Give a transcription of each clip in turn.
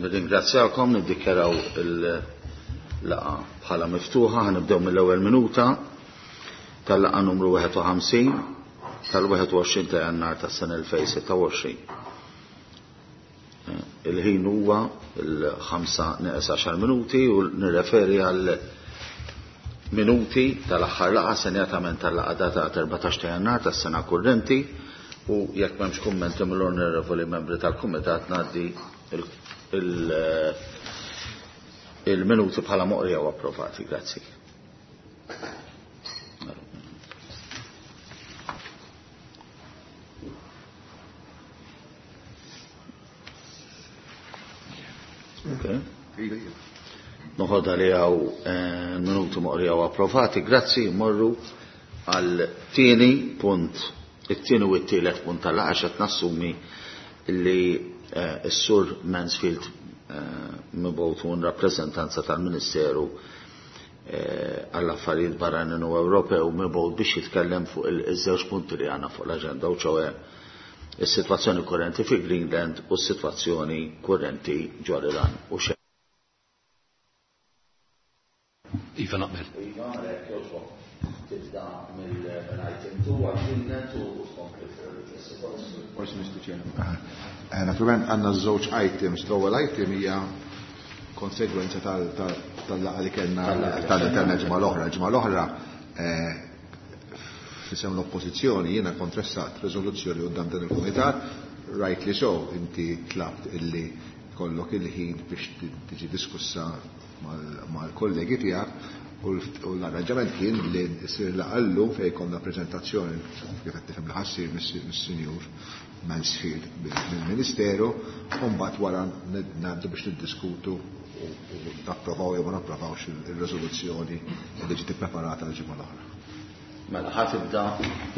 Nirringrazzjakom, niddikjaraw il-laqgħa bħala miftuħa, ħa nibdew mill-ewwel minuta tal-laqgħa numru 51 tal-21 ta' Jannar tas-sena 2026. Il-ħin huwa il-5 neqes 10 minuti u nirreferi għal minuti tal-aħħar laqgħa senjatament tal-laqgħa data 14 ta' Jannar tas-sena kurrenti u jekk m'hemmx kummenti mill-onorevoli membri tal-kumitat ngħaddi il-minuti bħala moqrija u approvati. Grazzi. Okay. Noħodha li għaw eh, minuti moqrija u approvati. Grazzi, morru għal tieni punt, it-tieni u t-tielet punt tal-laqgħa x'qed nassumi li eh, s-sur Mansfield eh, mibgħut un rappreżentanza tal-Ministeru għall-affarijiet barranin u Ewropew mibgħut biex jitkellem fuq iż-żewġ punti li għandna fuq l-aġenda u ċoe is-sitwazzjoni kurrenti fi Greenland u s-sitwazzjoni kurrenti ġol-Iran u xe. Iva naqbel. Iva, għalhekk jogħġbok tibda mill-item 2 għal Greenland u tkompli fuq is-sitwazzjoni. Forsi Mr. Chairman. Eh, Naturalment għandna żewġ items. L-ewwel item hija konsegwenza tal-laqgħa li kellna tal-ġimgħa l-oħra. Ġimgħa l-oħra eh, f'isem l-oppożizzjoni jiena kontressat riżoluzzjoni quddiem dan il-kumitat, rightly so, inti tlabt illi kollok il-ħin biex tiġi diskussa mal-kollegi tiegħek u l-arranġament kien li ssir laqgħa llum fejn konna preżentazzjoni kif qed tifhem li ħa ssir mis-Sinjur Mansfield mill-Ministeru u mbagħad wara ngħaddu biex niddiskutu u napprovaw jew ma napprovawx ir-riżoluzzjoni li ġiet ippreparata l-ġimgħa l-oħra. Mela ħa tibda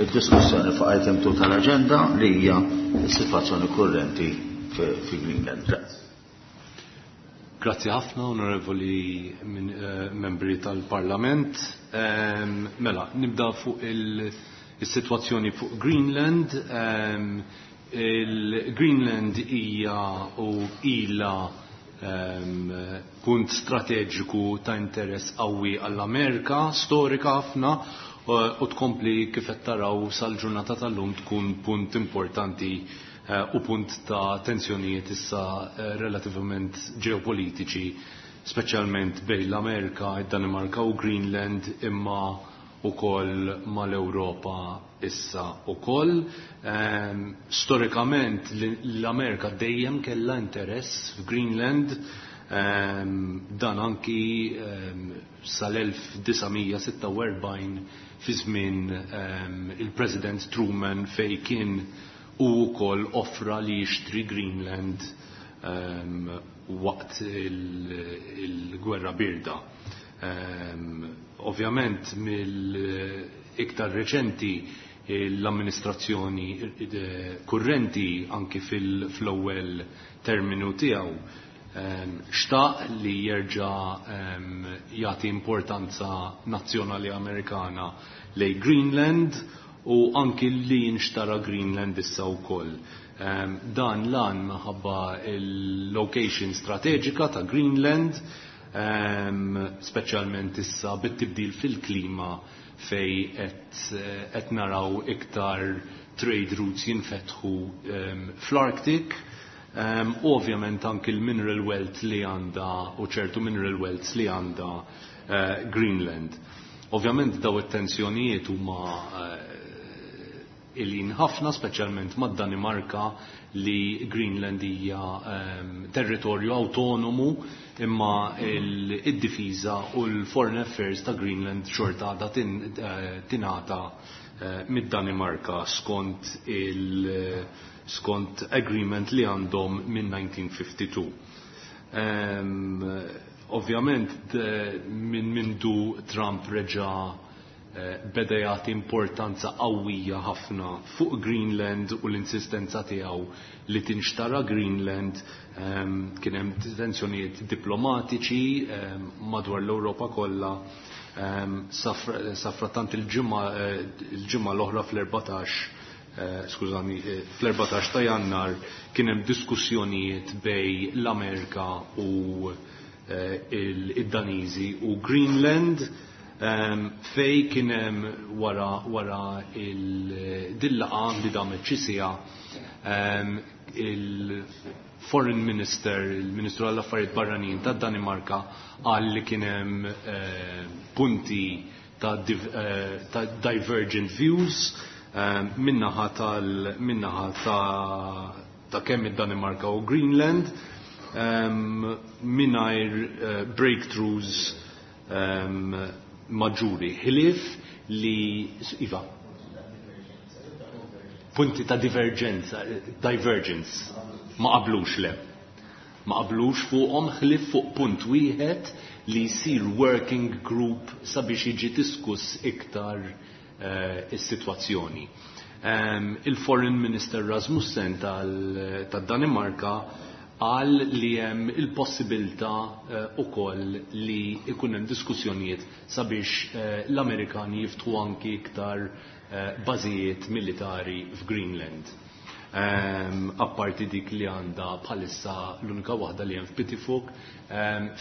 id-diskussjoni fuq item 2 tal-aġenda li hija s-sitwazzjoni kurrenti fi Greenland. Grazzi. Grazzi ħafna, onorevoli eh, membri tal-Parlament. Mela, nibda fuq il-sitwazzjoni fuq Greenland. Il-Greenland hija u ila punt strateġiku ta' interess qawwi għall-Amerika, storika ħafna, u tkompli kif qed taraw sal-ġurnata tal-lum tkun punt importanti u punt ta' tensjonijiet issa relativament ġeopolitiċi, speċjalment bejn l-Amerika, id-Danimarka u Greenland, imma ukoll mal-Ewropa issa ukoll. Storikament l-Amerika dejjem kellha interess f'Greenland, dan anki sal-1946 fi żmien il-President Truman fej kien u wkoll offra li jixtri Greenland waqt il-gwerra birda. Ovvjament mill-iktar reċenti l-amministrazzjoni kurrenti anki fil-ewwel terminu tiegħu xtaq li jerġa' jagħti importanza nazzjonali Amerikana lej Greenland u anki li jinxtara Greenland issa wkoll. Dan lan minħabba il-location strateġika ta' Greenland, speċjalment issa bit-tibdil fil-klima fej qed naraw iktar trade routes jinfetħu fl-Arctic. U ovvjament anki l-mineral wealth li għandha u ċertu mineral wealth li għandha Greenland. Ovvjament daw it-tensjonijiet huma ilin ħafna, speċjalment mad-Danimarka li Greenland hija territorju autonomu imma id-difiża u l-foreign affairs ta' Greenland xorta għadha tingħata mid-Danimarka skont il skont agreement li għandhom minn 1952. Ovvjament minn mindu Trump reġa' beda jagħti importanza qawwija ħafna fuq Greenland u l-insistenza tiegħu li tinxtara Greenland, kien hemm tensjonijiet diplomatiċi madwar l-Ewropa kollha safrattant il-ġimgħa l-oħra fl-14. skużani, fl-14 ta' Jannar kien hemm diskussjonijiet bej l-Amerika u id-Daniżi u Greenland, fej kien hemm wara il-dillaqgħa li damet xi siegħa, il-Foreign Minister, il-Ministru għall-Affarijiet Barranin tad-Danimarka, qal li kien hemm punti ta' divergent views min-naħa ta' kemm id-Danimarka u Greenland, mingħajr breakthroughs maġġuri. Ħlief li, iva, punti ta' divergenza, divergence, ma qablux, le. Ma qablux fuqhom ħlief fuq punt wieħed, li jsir working group sabiex jiġi diskuss iktar is-sitwazzjoni. Il-Foreign Minister Rasmussen tad-Danimarka qal li hemm il-possibilità ukoll li ikun hemm diskussjonijiet sabiex l-Amerikani jiftħu anki iktar bażijiet militari f'Greenland. Apparti dik li għandha bħalissa, l-unika waħda li hemm f'Pitifuk,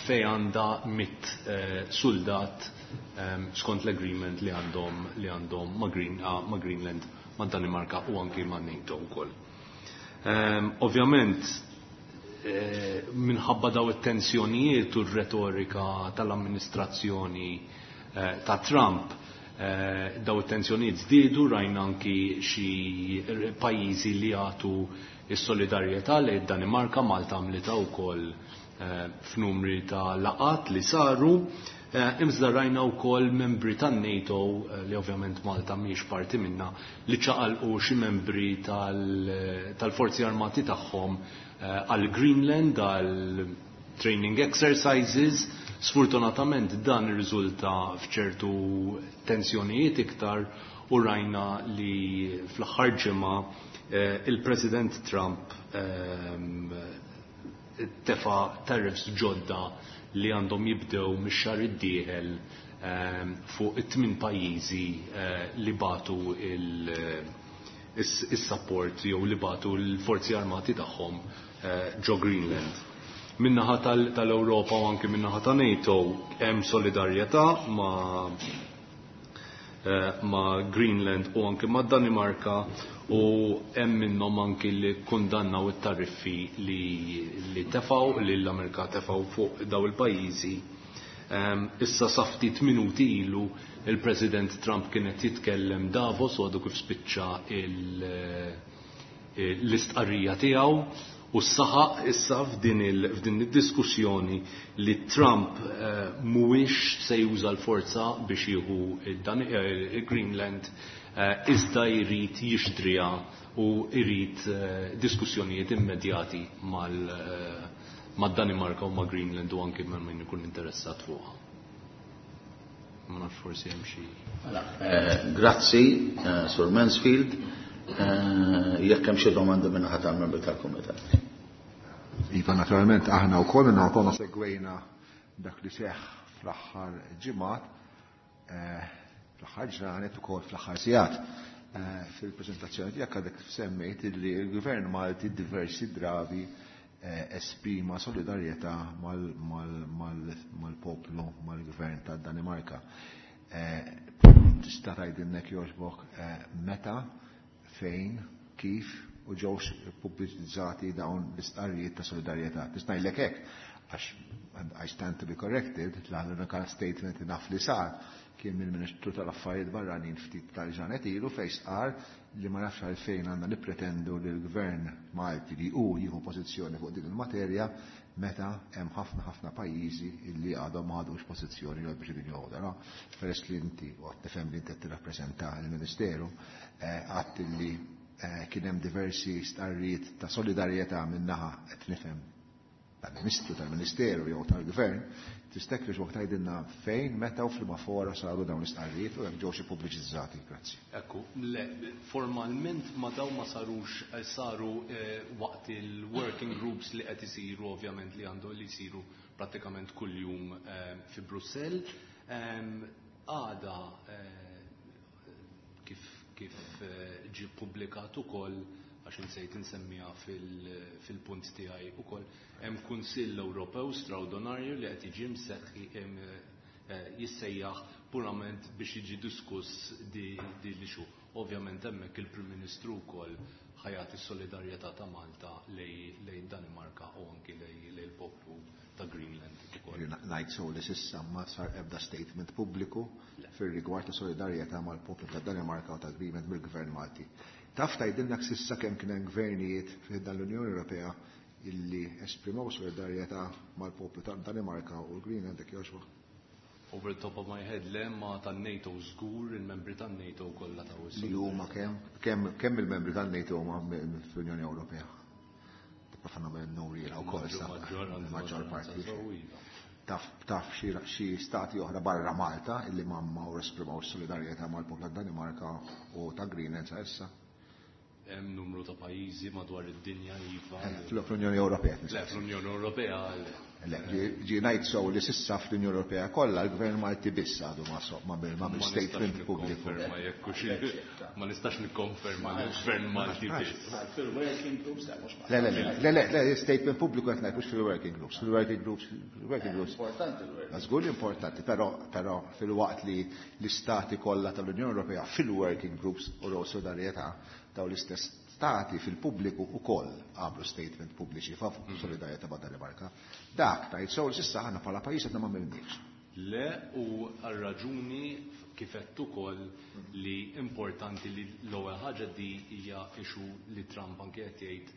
fej għandha 100 soldat skont l-agreement li għandhom ma' Greenland, ma' Danimarka u anki ma' NATO wkoll. Ovvjament, minħabba daw it-tensjonijiet u r-retorika tal-amministrazzjoni ta' Trump, daw it-tensjonijiet żdiedu. Rajna anki xi pajjiżi li jagħtu s-solidarjetà li Danimarka, Malta għamlitha wkoll f'numri ta' laqat li saru. Iżda rajna wkoll membri tan-NATO, li ovvjament Malta mhijiex parti minna, li ċaqalqu xi membri tal-forzi armati tagħhom għal Greenland għal training exercises. Sfortunatament dan irriżulta f'ċertu tensjonijiet iktar u rajna li fl-aħħar ġimgħa il-President Trump tefa tariffs ġodda li għandhom jibdew mix-xahar id-dieħel fuq it-tmien pajjiżi li bagħtu il-support jew li bagħtu l-forzi armati tagħhom ġo Greenland. Min-naħa tal-Ewropa u anki min-naħa ta' NATO hemm solidarjetà ma' Greenland u anki ma' Danimarka, u hemm minnhom anki li kundannaw it-tariffi li tefaw li l-Amerika tefaw fuq daw il-pajjiżi. Issa sa ftit minuti ilu il-President Trump kienet jitkellem Davos u għadu kif spiċċa l-istqarrija tiegħu u saħaq issa f'din id-diskussjoni li Trump mhuwiex se juża l-forza biex jieħu il-Greenland, iżda jrid jixtriha u jrid diskussjonijiet immedjati mad-Danimarka u ma' Greenland u anki ma' min ikun interessat fuqha. Ma nafx, forsi hemm xi. Mela, grazzi, Sur Mansfield. Jekk hemm xi domandi minn ħadd tal-membri tal-Kumitat. Iva, naturalment, aħna wkoll minna konna segwejna dak li seħ fl-aħħar ġimgħat, fl-aħħar ġranet ukoll fl-aħħar sigħat. Fil-preżentazzjoni tiegħek għadek semmejt li l-Gvern Malti diversi drabi esprima solidarjetà mal-poplu, mal-gvern ta' Danimarka. Tista' tgħidilna jogħġbok meta, fejn, kif u ġewx pubbliċizzati dawn l-istqarrijiet ta' solidarjetà? Tista' ngħidlek hekk għax, and I stand to be corrected, l-unika statement li naf li sar kien mill-Ministru tal-Affarijiet Barranin ftit tal-ġranet ilu, fejn stqar li ma nafx għalfejn għandna nippretendu li l-Gvern Malti li hu jieħu pożizzjoni fuq din il-materja meta hemm ħafna ħafna pajjiżi li għadhom ma ħadux pożizzjoni jew biex din joħodha. No? Peress li inti u għad tifhem li inti qed tirrappreżenta l-Ministeru, għadt li kien hemm diversi stqarrijiet ta' solidarjetà min-naħa, qed nifhem, tal-Ministru, tal-Ministeru jew tal-Gvern, tista' jogħġbok tgħidilna fejn, meta u f'liema fora saru dawn l-istqarrijiet u jekk ġewx pubbliċizzati? Grazzi. Ekku, le, formalment ma daw ma sarux, saru waqt il-working groups li qed isiru, ovvjament, li għandu li jsiru prattikament kuljum fi Brussell. Għada kif kif ġie ppubblikat ukoll, għax insejt insemmiha fil-punt tiegħi ukoll, hemm Kunsill Ewropew straordinarju li qed jiġi mseħħi jissejjaħ purament biex jiġi diskuss di l-issue. Ovvjament hemmhekk il-Prim Ministru wkoll ħa jagħti s-solidarjetà ta' Malta lejn Danimarka u anki lejn il-poplu ta' Greenland ukoll. Ngħid sew li s'issa ma sar ebda statement pubbliku fir-rigward ta' solidarjetà mal-poplu ta' Danimarka u ta' Greenland mill-Gvern Malti. Taf tgħidilna s'issa kemm kien hemm gvernijiet fi dan l-Unjoni Ewropea illi esprimew solidarjetà mal-poplu ta' Danimarka u l-Greenland, jekk jogħġbok? Over the top of my head, le, ma tan-NATO żgur, il-membri tan-NATO kollha taw Li huma kemm? Kemm il-membri tan-NATO huma fl-Unjoni Ewropea? Tipprova nagħmel numri jiena wkoll sa. Maġġoranza. Maġġor parti. Iva. Taf xi stati oħra barra Malta illi ma ma esprimaw solidarjetà mal-poplu ta' Danimarka u ta' Greenland sa issa? Hemm numru ta' pajjiżi madwar id-dinja, iva. Fl-Unjoni Ewropea. Le, fl-Unjoni Ewropea. Le, ġi ngħid sew li s'issa fl-Unjoni Ewropea kollha l-Gvern Malti biss għadu ma so, ma bil ma statement pubbliku. Ma nistax nikkonferma li l-Gvern Malti biss. Fil-working groups, le, mhux Le, le, le, le, le, statement pubbliku qed ngħid mhux fil-working groups, fil-working groups, fil-working groups. Importanti l-working. Żgur importanti, però fil-waqt li l-istati kollha tal-Unjoni Ewropea fil-working groups u solidarjetà daw l-istess stati fil-pubbliku ukoll għamlu statement pubbliċi favur solidarjetà ma' Danimarka. Dak tajt sew s'issa aħna bħala pajjiż qed ma għamilniex. Le, u għal-raġuni kif għedt ukoll li importanti li l-ewwel ħaġa di hija issue li Trump anke qed jgħid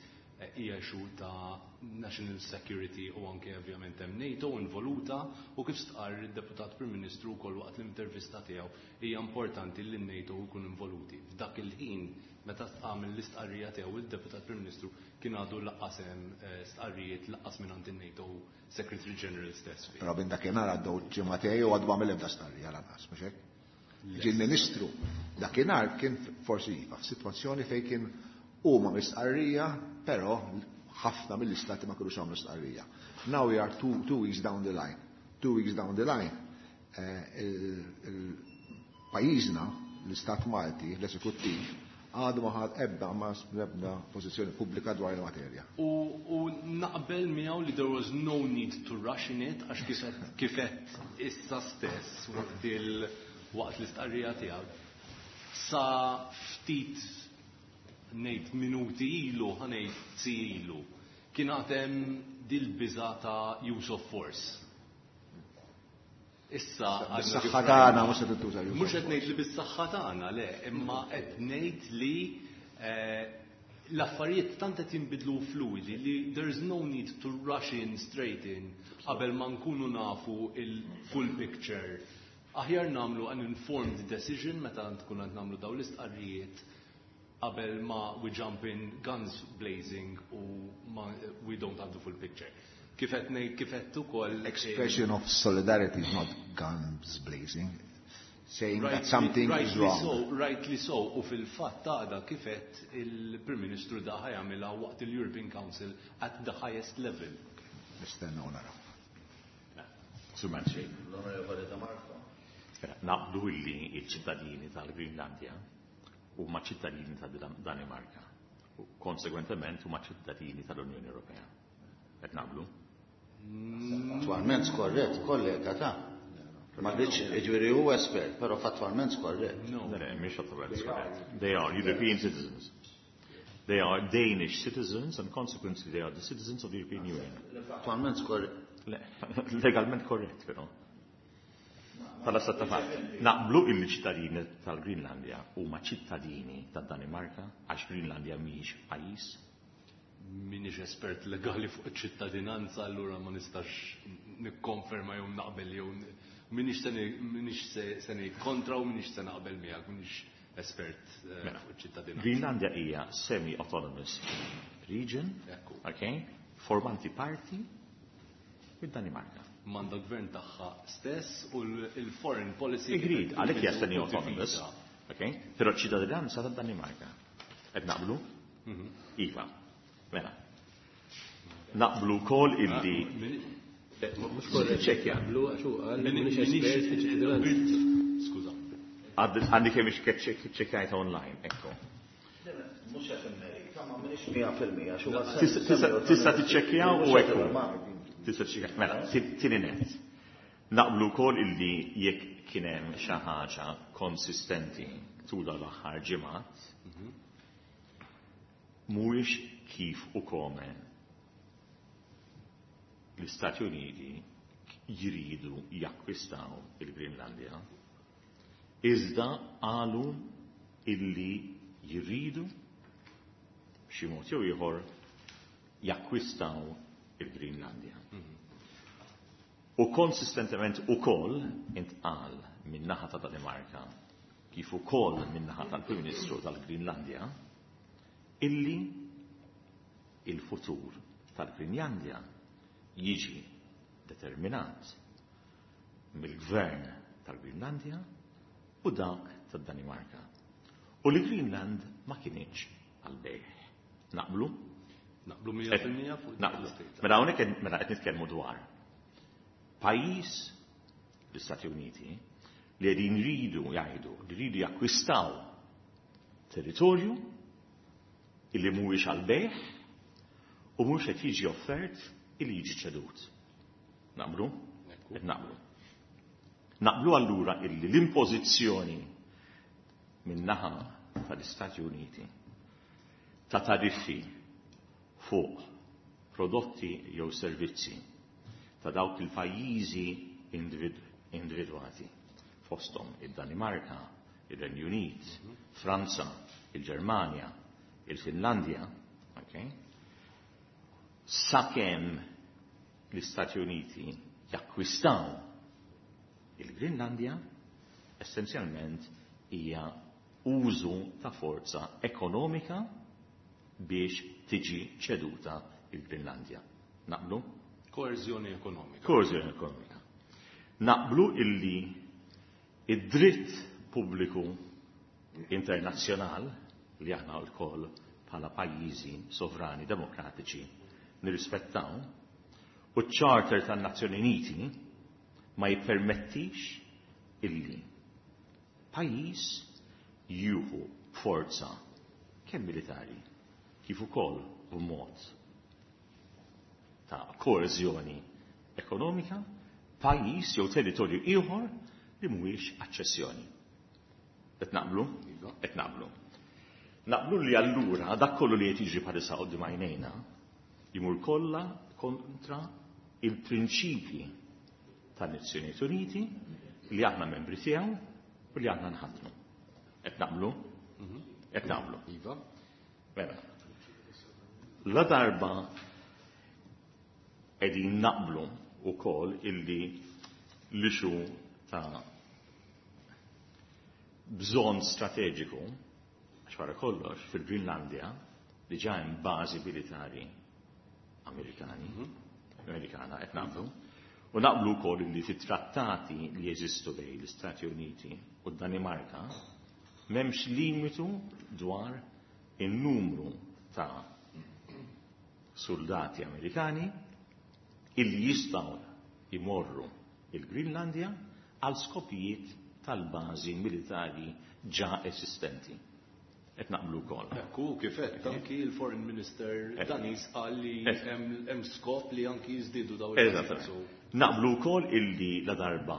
hija issue ta' national security u anke ovvjament hemm NATO involuta, u kif stqarr id-Deputat Prim Ministru wkoll waqt l-intervista tiegħu hija importanti li n-NATO jkun involuti. F'dak il-ħin meta għamel l-istqarrija tiegħu il-Deputat Prim Ministru kien għadu lanqas hemm stqarrijiet lanqas minn in-NATO Secretary General stess. Però minn dakinhar għaddew ġimagħtejn u għadu għamel ebda stqarrija lanqas, mhux hekk? Ġie l-Ministru dakinhar kien forsi iva f'sitwazzjoni fejn kien huma mistqarrija, però ħafna mill-istati ma kinux għamlu stqarrija. Now we are 2 weeks down the line. 2 weeks down the line, il-pajjiżna, l-Istat Malti, l-Eżekuttiv, għadu ma ħad ebda ma ebda pożizzjoni pubblika dwar il-materja. U naqbel miegħu li there was no need to rush in it, għax kif għedt issa stess waqt l-istqarrija tiegħu. Sa ftit ngħid minuti ilu, ħa ngħid si ilu, kien għatem dil-biża ta' use of force. Issa Bis-saħħa tagħna mhux se tintuża use. Mhux qed ngħid li bis-saħħa tagħna, le, imma qed ngħid li l-affarijiet tant qed jinbidlu fluidi li there is no need to rush in straight in qabel ma nkunu nafu il-full picture. Aħjar nagħmlu an informed decision meta tkun qed nagħmlu dawn l-istqarrijiet qabel ma we jump in guns blazing u ma we don't have the full picture. Kif qed ngħid, kif qed ukoll Expression of solidarity is not guns blazing. Saying that something is wrong. So, rightly so, u fil-fatt għada kif għedt il-Prim Ministru da ħa jagħmilha waqt il-European Council at the highest level. Nistennew naraw. Sur Manċej. L-Onorevoli De Marco. Naqblu illi il-ċittadini tal-Greenlandia huma ċittadini tal-Danimarka. U konsegwentement huma ċittadini tal-Unjoni Ewropea. Qed naqblu? Fattwalment skorrett, kollega ta' ma rridx, jiġifieri hu espert, però fattwalment skorrett. No. Le, mhix fattwalment skorrett. They are European citizens. They are Danish citizens and consequently they are the citizens of the European Union. Fattwalment skorrett. Le, legalment korrett, però. Bħala stat ta' fatt. Naqblu illi ċittadini tal-Greenlandia huma ċittadini tad-Danimarka għax Greenlandia mhijiex pajjiż. Minix espert legali fuq ċittadinanza, allura ma nistax nikkonferma jew naqbel jew minix se ngħid kontra u minix se naqbel miegħek, minix espert Mela, fuq ċittadinanza. Greenlandia hija semi-autonomous region, Ekku. okay, formanti parti mid-Danimarka. M'għandha gvern tagħha stess u l-foreign policy. Agreed, għalhekk hija semi-autonomous, okay, però ċittadinanza tad-Danimarka. Qed naqblu? Iva. Mela. Naqblu wkoll illi Mhux korrett ċekja. Naqblu għax hu qal li mhux espert fi ċittadinanza. Skuża. Għandi kemm iċċekkjajt online, ekku. Mhux qed immerita, ma m'iniex 100% x'huwa. Tista' tiċċekkjaw u ekku. Tista' tiċċekkjaw. Mela, tieni net. Naqblu wkoll illi jekk kien hemm xi ħaġa konsistenti tul l-aħħar ġimgħat, mhuwiex kif u kome l-Istati Uniti jridu jakkwistaw il-Grinlandja, iżda qalu illi jridu b'xi mod jew ieħor jakkwistaw il-Grinlandja. U konsistentement ukoll intqal min-naħa ta' Danimarka kif ukoll min-naħa tal-Prim Ministru tal-Grinlandja illi il-futur tal-Grinlandja jiġi determinat mill-gvern tal-Grinlandja u dak tad-Danimarka. U li Greenland ma kinitx għal-bejgħ. Naqblu? Naqblu 100% fuq Naqblu. Mela hawnhekk mela qed nitkellmu dwar pajjiż, l-Istati Uniti, li qegħdin jridu jgħidu li jridu jakkwistaw territorju illi mhuwiex għal-bejgħ u mhux qed jiġi offert illi jiġi ċedut. Naqblu? Qed naqblu. Naqblu allura illi l-impożizzjoni min-naħa tal-Istati Uniti ta' tariffi fuq prodotti jew servizzi ta' dawk il-pajjiżi individwati fosthom id-Danimarka, ir-Renju Unit, Franza, il-Ġermanja, il-Finlandja, okay? Sakemm l-Istati Uniti jakkwistaw il-Grinlandja, essenzjalment hija użu ta' forza ekonomika biex tiġi ċeduta il-Grinlandja. Naqblu? Koerzjoni ekonomika. Koerzjoni ekonomika. Naqblu illi id-dritt pubbliku internazzjonal li aħna lkoll bħala pajjiżi sovrani demokratiċi nirrispettaw u ċ-Charter tan-Nazzjoni Uniti ma jippermettix illi pajjiż jieħu forza kemm militari kif ukoll b'mod ta' koeżjoni ekonomika pajjiż jew territorju ieħor li mhuwiex aċċessjoni. Qed naqblu? Qed naqblu. Naqblu li allura dak kollu li qed jiġri bħalissa quddiem għajnejna jmur kollha kontra il-prinċipji tan-Nazzjonijiet Uniti li aħna membri tiegħu u li aħna nħaddmu. Qed naqblu? Qed naqblu. Iva. Mela. La darba qegħdin naqblu wkoll illi l-issue ta' bżonn strateġiku, għax wara kollox fil-Grinlandja diġà hemm bażi militari Amerikani, Amerikana qed naqblu, u naqblu wkoll li fit-trattati li jeżistu bejn l-Istati Uniti u d-Danimarka m'hemmx limitu dwar in-numru ta' soldati Amerikani illi jistgħu jmorru il-Grinlandja għal skopijiet tal-bażi militari ġa esistenti. Qed naqblu wkoll. Ekku, kif qed anki il-Foreign Minister Daniż qal li hemm skop li anki jiżdiedu dawn il- Naqblu wkoll illi la darba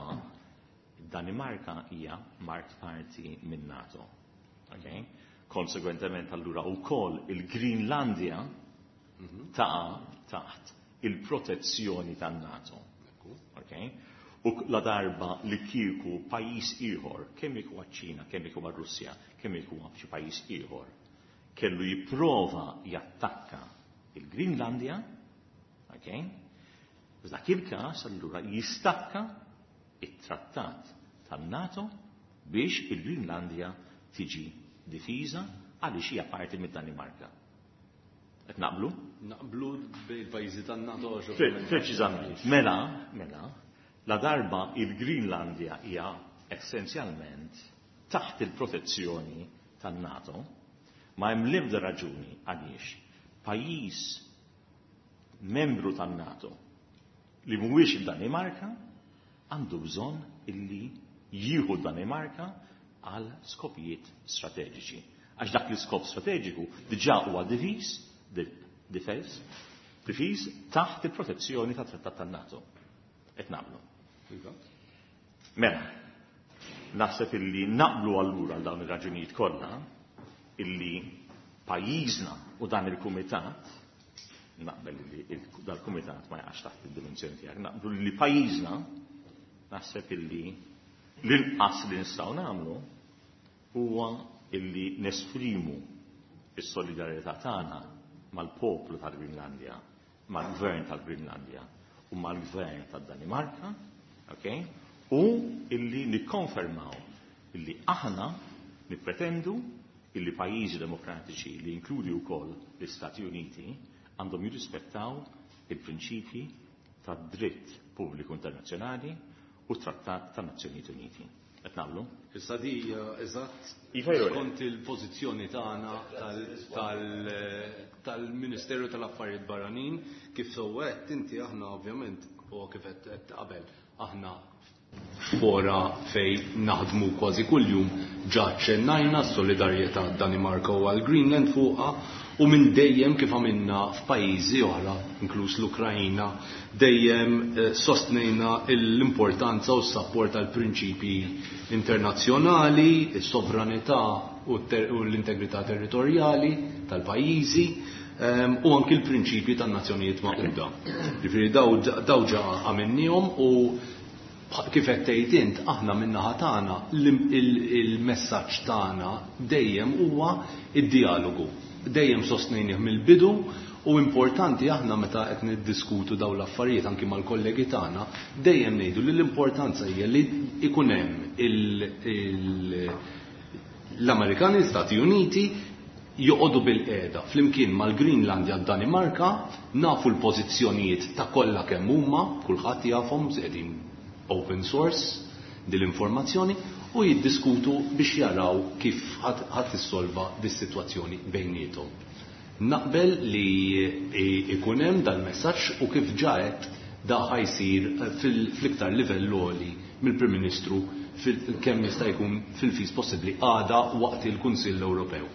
Danimarka hija mart parti minn NATO. Okay? Konsegwentement allura wkoll il-Greenlandia taqa' taħt il-protezzjoni tan-NATO. Okay? U la darba li kieku pajjiż ieħor, kemm jekk huwa ċ-Ċina, kemm jekk huwa Russja, kemm jekk huwa xi pajjiż ieħor, kellu jipprova jattakka il-Greenlandia, okay? F'dak il-każ allura jistakka it-trattat tan-NATO biex il-Greenlandia tiġi difiża għaliex hija parti mid-Danimarka. Qed naqblu? Naqblu bejn il-pajjiżi tan-NATO. Preċiżament. Mela, la darba il-Greenlandia hija essenzjalment taħt il-protezzjoni tan-NATO, ma hemm l-ebda raġuni għaliex pajjiż membru tan-NATO li mhuwiex id-Danimarka għandu bżonn illi jieħu d-Danimarka għal skopijiet strateġiċi. Għax dak l-iskop strateġiku diġà huwa diviż, difeż, difiż taħt il-protezzjoni tat-Trattat tan-NATO. Qed naqblu. Iva. Mela, naħseb illi naqblu allura għal dawn ir-raġunijiet kollha illi pajjiżna u dan il-kumitat, naqbel li dal-kumitat ma jaqax taħt id-dimensjoni tiegħek, naqblu li pajjiżna naħseb illi l-inqas li nistgħu nagħmlu huwa illi nesprimu s-solidarjetà tagħna mal-poplu tal-Grinlandja, mal-gvern tal-Grinlandja u mal-gvern tad-Danimarka, okay? U illi nikkonfermaw illi aħna nippretendu illi pajjiżi demokratiċi li inkludi wkoll l-Istati Uniti għandhom jirrispettaw il-prinċipji tad-dritt pubbliku internazzjonali u trattat tan-Nazzjonijiet Uniti. Qed nagħmlu? Issa di hija eżatt Iva jew le? skont il-pożizzjoni tagħna tal-Ministeru tal-Affarijiet Barranin, kif sewwa għedt inti aħna ovvjament u kif qed qabel aħna fora fej naħdmu kważi kuljum ġa ċennajna s-solidarjetà Danimarka u għal Greenland fuqha u minn dejjem kif għamilna f'pajjiżi oħra, inkluż l-Ukrajina, dejjem sostnejna l-importanza u s-sapport għal prinċipji internazzjonali, is-sovranità u l-integrità territorjali tal-pajjiżi, u anki l-prinċipji tan-Nazzjonijiet Magħquda. Ġifieri daw ġa għamilniehom u kif qed tgħid int, aħna min-naħa tagħna il-messaġġ tagħna dejjem huwa id-dialogu. Dejjem sostnejnih mill-bidu u importanti aħna meta qed niddiskutu dawn l-affarijiet anki mal-kollegi tagħna, dejjem ngħidu li l-importanza hija li ikun hemm l-Amerikani, l-Stati Uniti joqogħdu bil-qiegħda flimkien mal-Greenlandja d-Danimarka, nafu l-pożizzjonijiet ta' kollha kemm huma, kulħadd jafhom, qegħdin open source dil-informazzjoni, u jiddiskutu biex jaraw kif ħadd tissolva dis-sitwazzjoni bejniethom. Naqbel li ikun hemm dal-messaġġ u kif ġaet da ħajsir fl-iktar livell għoli mill-Prim Ministru kemm jista' jkun fil-fis possibbli għada waqt il-Kunsill Ewropew.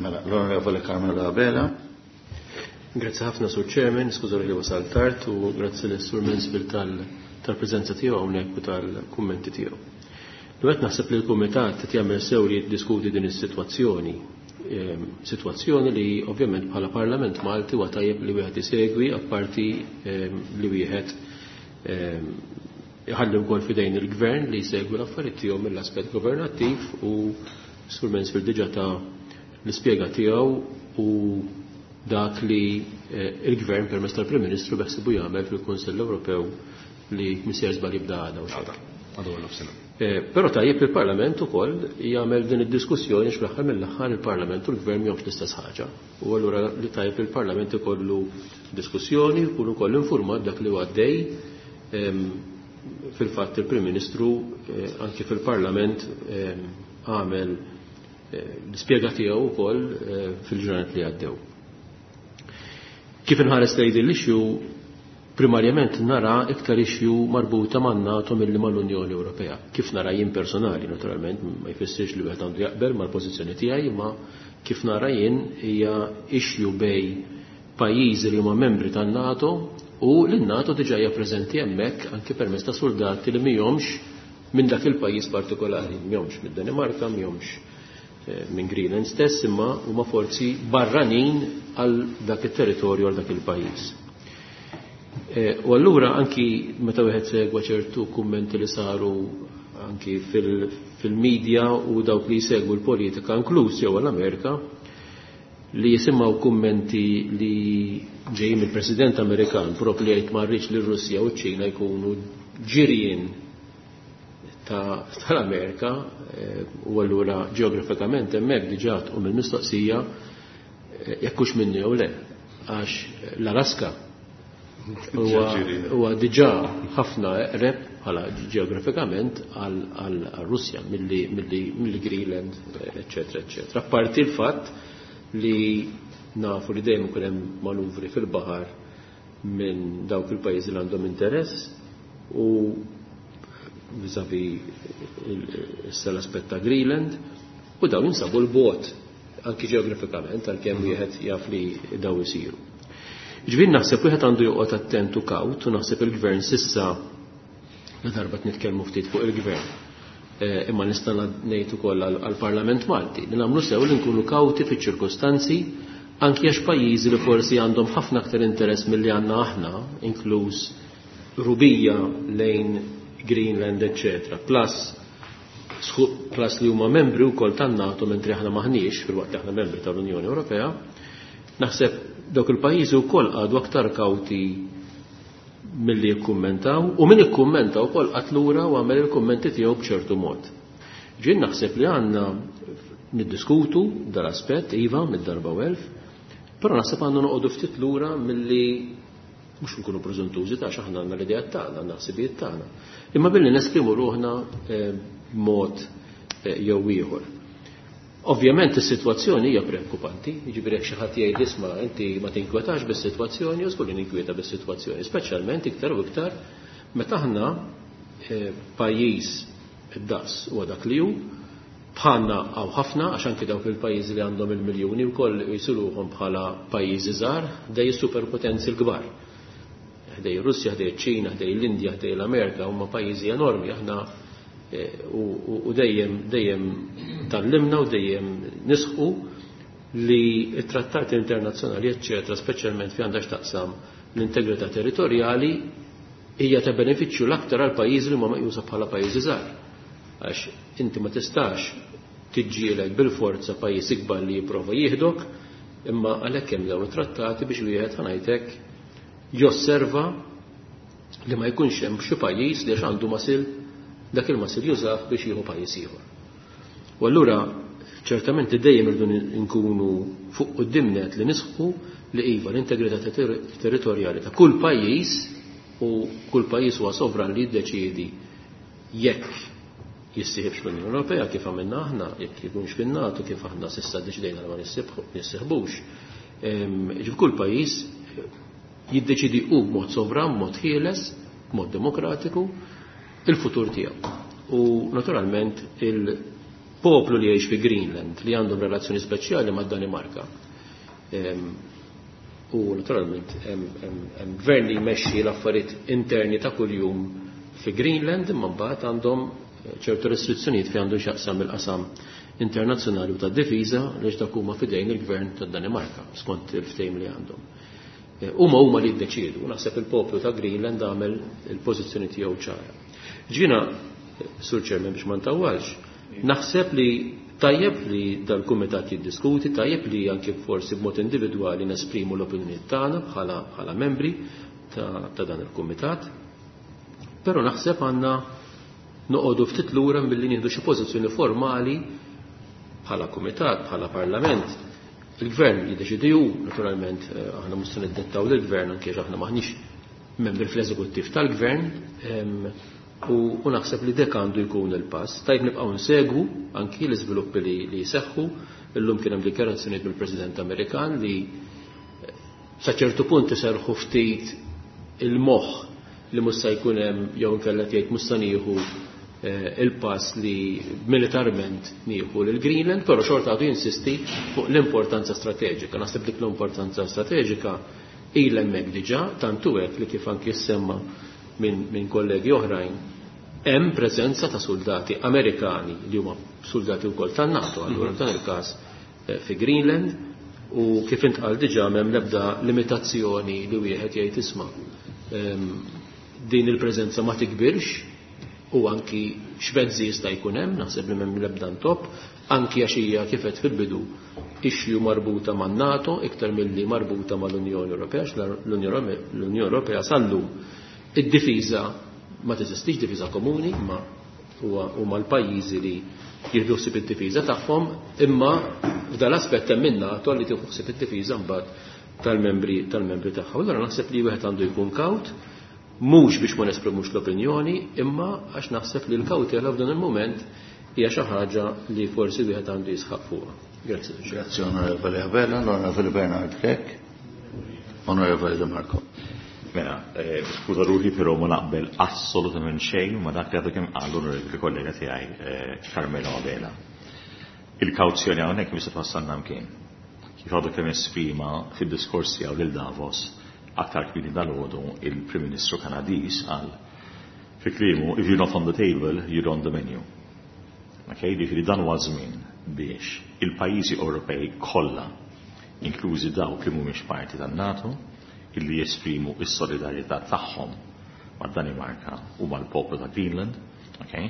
Mela, l-Onorevoli Carmelo Abela. Grazzi ħafna, Sur Chairman, skuża li wasal tard u grazzi lis Sur Mansfield tal-preżenza tiegħu hawnhekk u tal-kummenti tiegħu. Dwet naħseb li l-Kumitat qed jagħmel sew li jiddiskuti din is-sitwazzjoni. Sitwazzjoni li ovvjament bħala Parlament Malti huwa tajjeb li wieħed isegwi apparti li wieħed iħalli wkoll f'idejn il-Gvern li jsegwi l-affarijiet tiegħu mill-aspett governattiv u Sur Mansfield diġà ta' l-ispjega tiegħu u dak li il-Gvern permezz tal-Prim Ministru beħsibu jagħmel fil-Kunsill Ewropew li misjer żball jibda għada u xejn. Għadu għal nofsinhar. Però tajjeb il-Parlament ukoll jagħmel din id-diskussjoni għax fl-aħħar mill-aħħar il-Parlament u l-Gvern m'hemmx l-istess ħaġa. U allura li tajjeb il-Parlament ikollu diskussjoni, jkun ukoll informat dak li huwa għaddej. Fil-fatt il-Prim Ministru anki fil-Parlament għamel l-ispjega tiegħu wkoll fil-ġranet li għaddew. Kif inħares lejn din l-issue, primarjament nara iktar issue marbuta man-NATO milli mal-Unjoni Ewropea. Kif nara jien personali, naturalment, ma jfissirx li wieħed għandu jaqbel mal-pożizzjoni tiegħi, imma kif nara jien hija issue bej pajjiżi li huma membri tan-NATO u li n-NATO diġà hija preżenti hemmhekk anke permezz ta' soldati li mihomx minn dak il-pajjiż partikolari, mihomx mid-Danimarka, mihomx minn Greenland stess, imma huma forzi barranin għal dak it-territorju, għal dak il-pajjiż. U allura anki meta wieħed segwa ċertu kummenti li saru anki fil-medja u dawk li jsegwu l-politika, inkluż jew l-Amerika, li jisimgħu kummenti li ġejjin mill-President Amerikan propju li jgħid ma rridx li r-Russja u ċ-Ċina jkunu ġirien tal-Amerika, u allura ġeografikament hemmhekk diġà tqum il-mistoqsija jekk hux minnu jew le, għax l-Alaska huwa diġà ħafna eqreb bħala ġeografikament għal Russja milli Greenland, eċetera, eċetera. Apparti l-fatt li nafu li dejjem ikun hemm manuvri fil-baħar minn dawk il-pajjiżi li għandhom interess. u vis-à-vis issa l-aspett ta' Greenland, u dawn jinsabu l-bogħod anki ġeografikament għalkemm wieħed jaf li daw isiru. Ġifieri naħseb wieħed għandu joqgħod attent u kawt u naħseb il-gvern sissa la darba nitkellmu ftit fuq il-gvern. Imma nista' ngħid ukoll għall-Parlament Malti li nagħmlu sew li nkunu kawti fiċ-ċirkustanzi anki għax pajjiżi li forsi għandhom ħafna aktar interess milli għandna aħna, inkluż rubija lejn Greenland, eccetera, plus plus li huma membri wkoll tan-NATO mentri aħna maħniex fil-waqt li aħna membri tal-Unjoni Ewropea, naħseb dawk il-pajjiżi wkoll għadu aktar kawti milli jikkummentaw u min ikkummenta wkoll qatt lura u għamel il-kummenti tiegħu b'ċertu mod. Ġien naħseb li għandna niddiskutu dal-aspett iva mid-darba u elf, però naħseb għandna noqogħdu ftit lura milli mhux nkunu preżuntużi ta' aħna għandna l-idea tagħna, għandna ħsibijiet tagħna. Imma billi nesprimu ruħna b'mod jew ieħor. Ovvjament is-sitwazzjoni hija preokkupanti, jiġifieri jekk xi ħadd jgħid isma' inti ma tinkwetax bis-sitwazzjoni, u żgur li ninkwieta bis-sitwazzjoni, speċjalment iktar u iktar meta aħna pajjiż id-daqs huwa dak li hu, bħalna hawn ħafna għax anki dawk il-pajjiżi li għandhom il-miljuni wkoll jisuluhom bħala pajjiżi żgħar ħdej is-superpotenzi l-kbar. Ħdej ir-Russja, ħdej iċ-Ċina, ħdej l-Indja, ħdej l-Amerika huma pajjiżi enormi aħna u dejjem dejjem tallimna u dejjem nisħu li t-trattati internazzjonali eċċetera, speċjalment fi għandha x'taqsam l-integrità territorjali hija ta' benefiċċju l-aktar għal pajjiżi li huma meqjusa bħala pajjiżi żgħar. Għax inti ma tistax tiġġieled bil-forza pajjiż ikbar li jipprova jieħdok, imma għalhekk hemm dawn it-trattati biex wieħed ħanajtek josserva li ma jkunx hemm xi pajjiż li għax għandu masil dak il-masil jużah biex jieħu pajjiż ieħor. U allura ċertament li dejjem irdu nkunu fuq qudiemnet li nisħu li iva l-integrità territorjali ta' kull pajjiż u kull pajjiż huwa sovran li jiddeċiedi jekk jissieħibx fl-Unjoni Ewropea kif għamilna aħna, jekk jkunx fin-NATO kif aħna s'issa ddeċidejna li ma nissieħbux. Ġif kull pajjiż jiddeċidi hu b'mod sovran, b'mod ħieles, b'mod demokratiku il-futur tiegħu. U naturalment il-poplu li jgħix fi Greenland li għandhom relazzjoni speċjali mad-Danimarka. U naturalment hemm gvern li jmexxi l-affarijiet interni ta' kuljum fi Greenland imma mbagħad għandhom ċertu restrizzjonijiet fi għandu x'jaqsam il-qasam internazzjonali u tad-difiża għaliex dak huma f'idejn il-gvern tad-Danimarka skont il-ftehim li għandhom. Huma huma li jiddeċiedu, naħseb il-poplu ta' Greenland għamel il-pożizzjoni tiegħu ċara. Ġina, Sur Chairman biex ma ntawwalx, naħseb li tajjeb li dal-kumitat jiddiskuti, tajjeb li anke forsi b'mod individwali nesprimu l-opinjoni tagħna bħala membri ta' dan il-kumitat, però naħseb għandna noqogħdu ftit lura milli nieħdu xi pożizzjoni formali bħala kumitat, bħala parlament. Il-gvern jiddeċidi hu, naturalment aħna mhux se niddettaw lill-gvern anke aħna maħniex membri fl-eżekuttiv tal-gvern, u naħseb li dek għandu jkun il-pass. Tajb nibqgħu nsegwu anki l-iżviluppi li jseħħu. Illum kien hemm dikjarazzjonijiet mill-President Amerikan li sa ċertu punt iserħu ftit il-moħħ li mhux se jkun hemm jew inkella tgħid mhux se nieħu il-pass li militarment nieħu lil Greenland, però xorta għadu jinsisti fuq l-importanza strateġika. Naħseb dik l-importanza strateġika ilha hemmhekk diġà, tant hu hekk li kif anki ssemma minn kollegi oħrajn, hemm preżenza ta' soldati Amerikani li huma soldati wkoll tan-NATO, allura f'dan il-każ fi Greenland, u kif intqal diġà m'hemm l-ebda limitazzjoni li wieħed jgħid isma' din il-preżenza ma tikbirx u anki x'mezzi jista' jkun hemm, naħseb li m'hemm l-ebda ntop, anki għax hija kif qed fil-bidu issue marbuta man-NATO iktar milli marbuta mal-Unjoni Ewropea, għax l-Unjoni Ewropea sal-lum id-difiża ma teżistix difiża komuni, imma huma l-pajjiżi li jieħdu ħsieb id-difiża tagħhom, imma f'dan l-aspett hemm in-NATO li tieħu ħsieb id-difiża mbagħad tal-membri tagħha. Allura naħseb li wieħed għandu jkun kawt, mhux biex ma nesprimux l-opinjoni, imma għax naħseb li l-kawtela f'dan il-mument hija xi ħaġa li forsi wieħed għandu jisħaq fuqha. Grazzi. Grazzi Onorevoli Abela, l-Onorevoli Bernard Grech, Onorevoli De Marco. Mela, skuża ruħi però ma naqbel assolutament xejn ma dak li għadu kemm qal l-onorevoli kollega tiegħi Carmelo Abela. Il-kawzjoni hawnhekk mhix se twassalna mkien. Kif għadu kemm esprima fid-diskors tiegħu lil Davos aktar kmieni dalgħodu il-Prim Ministru Kanadiż qal fi kliemu if you're not on the table, you're on the menu. Okay, jiġifieri dan huwa żmien biex il-pajjiżi Ewropej kollha, inklużi dawk li mhumiex parti tan-NATO, illi jesprimu s-solidarjetà tagħhom mad-Danimarka u mal-poplu ta' Greenland, okay,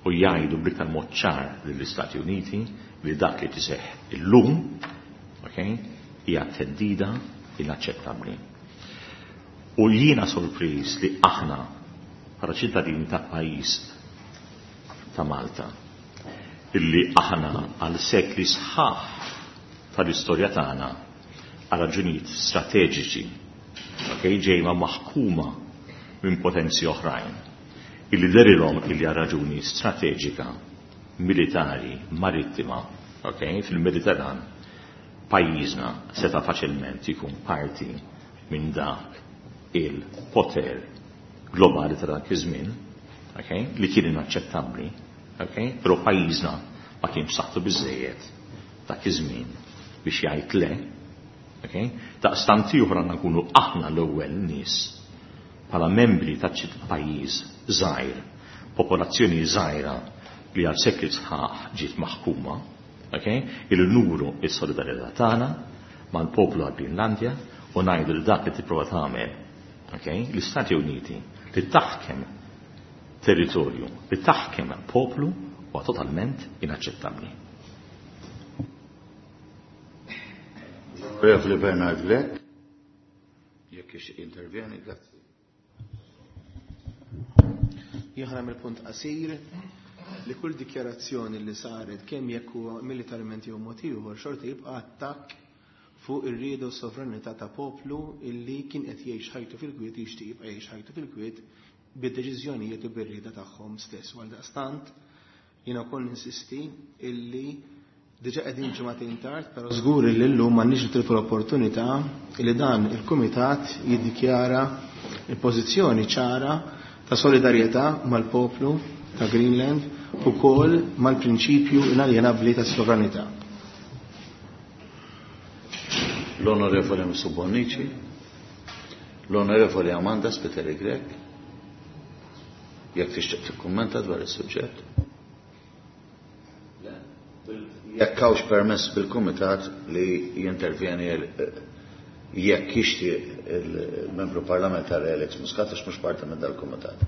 u jgħidu bl-iktar mod ċar lill-Istati Uniti li dak li tiseħħ illum, okay, hija theddida inaċċettabbli. U jiena sorpriż li aħna bħala ċittadini ta' pajjiż ta' Malta, illi aħna għal sekli sħaħ tal-istorja tagħna għal raġunijiet strateġiċi, okay, ġejma maħkuma minn potenzi oħrajn, illi derilhom illi għal raġuni strateġika, militari, marittima, okay, fil-Mediterran, pajjiżna seta' faċilment ikun parti minn dak il-poter globali ta' dak iż-żmien, okay, li kien inaċċettabbli, okay, però pajjiżna ma kien b'saħħtu biżejjed dak iż-żmien biex jgħid le, okay, daqstant ieħor għandna nkunu aħna l-ewwel nies bħala membri ta' pajjiż żgħir, popolazzjoni żgħira li għal sekli sħaħ ġiet maħkuma, okay, illi nuru s-solidarjetà tagħna mal-poplu għal Greenlandja u ngħidu li dak li tipprova tagħmel, okay, l-Istati Uniti li taħkem territorju, li taħkem poplu huwa totalment inaċċettabbli. Onorevoli Bernard Grech, jekk ix intervjeni, grazzi. Jien nagħmel punt qasir li kull dikjarazzjoni li saret kemm jekk huwa militarment jew mod ieħor xorta jibqa' attakk fuq ir-rieda u s-sovranità ta' poplu illi kien qed jgħix ħajtu fil-kwiet jixtieq jibqa' jgħix ħajtu fil-kwiet bid-deċiżjonijiet u bir-rieda tagħhom stess. Għal daqstant jiena wkoll ninsisti illi diġà qegħdin ġimagħtejn tard, però żgur illi llum m'għandniex nitilfu l-opportunità li dan il-kumitat jiddikjara il-pożizzjoni ċara ta' solidarjetà mal-poplu ta' Greenland u kol mal-prinċipju inaljenabbli ta' sovranità. L-Onorevoli Msu Bonnici, l-Onorevoli Amanda Spiteri Grech, jekk tixtieq tikkummenta dwar is-suġġett. Jekk hawnx permess bil-Kumitat li jintervjeni jekk jixtieq il-membru parlamentari Alex Muscat għax mhux parti minn dal-Kumitat.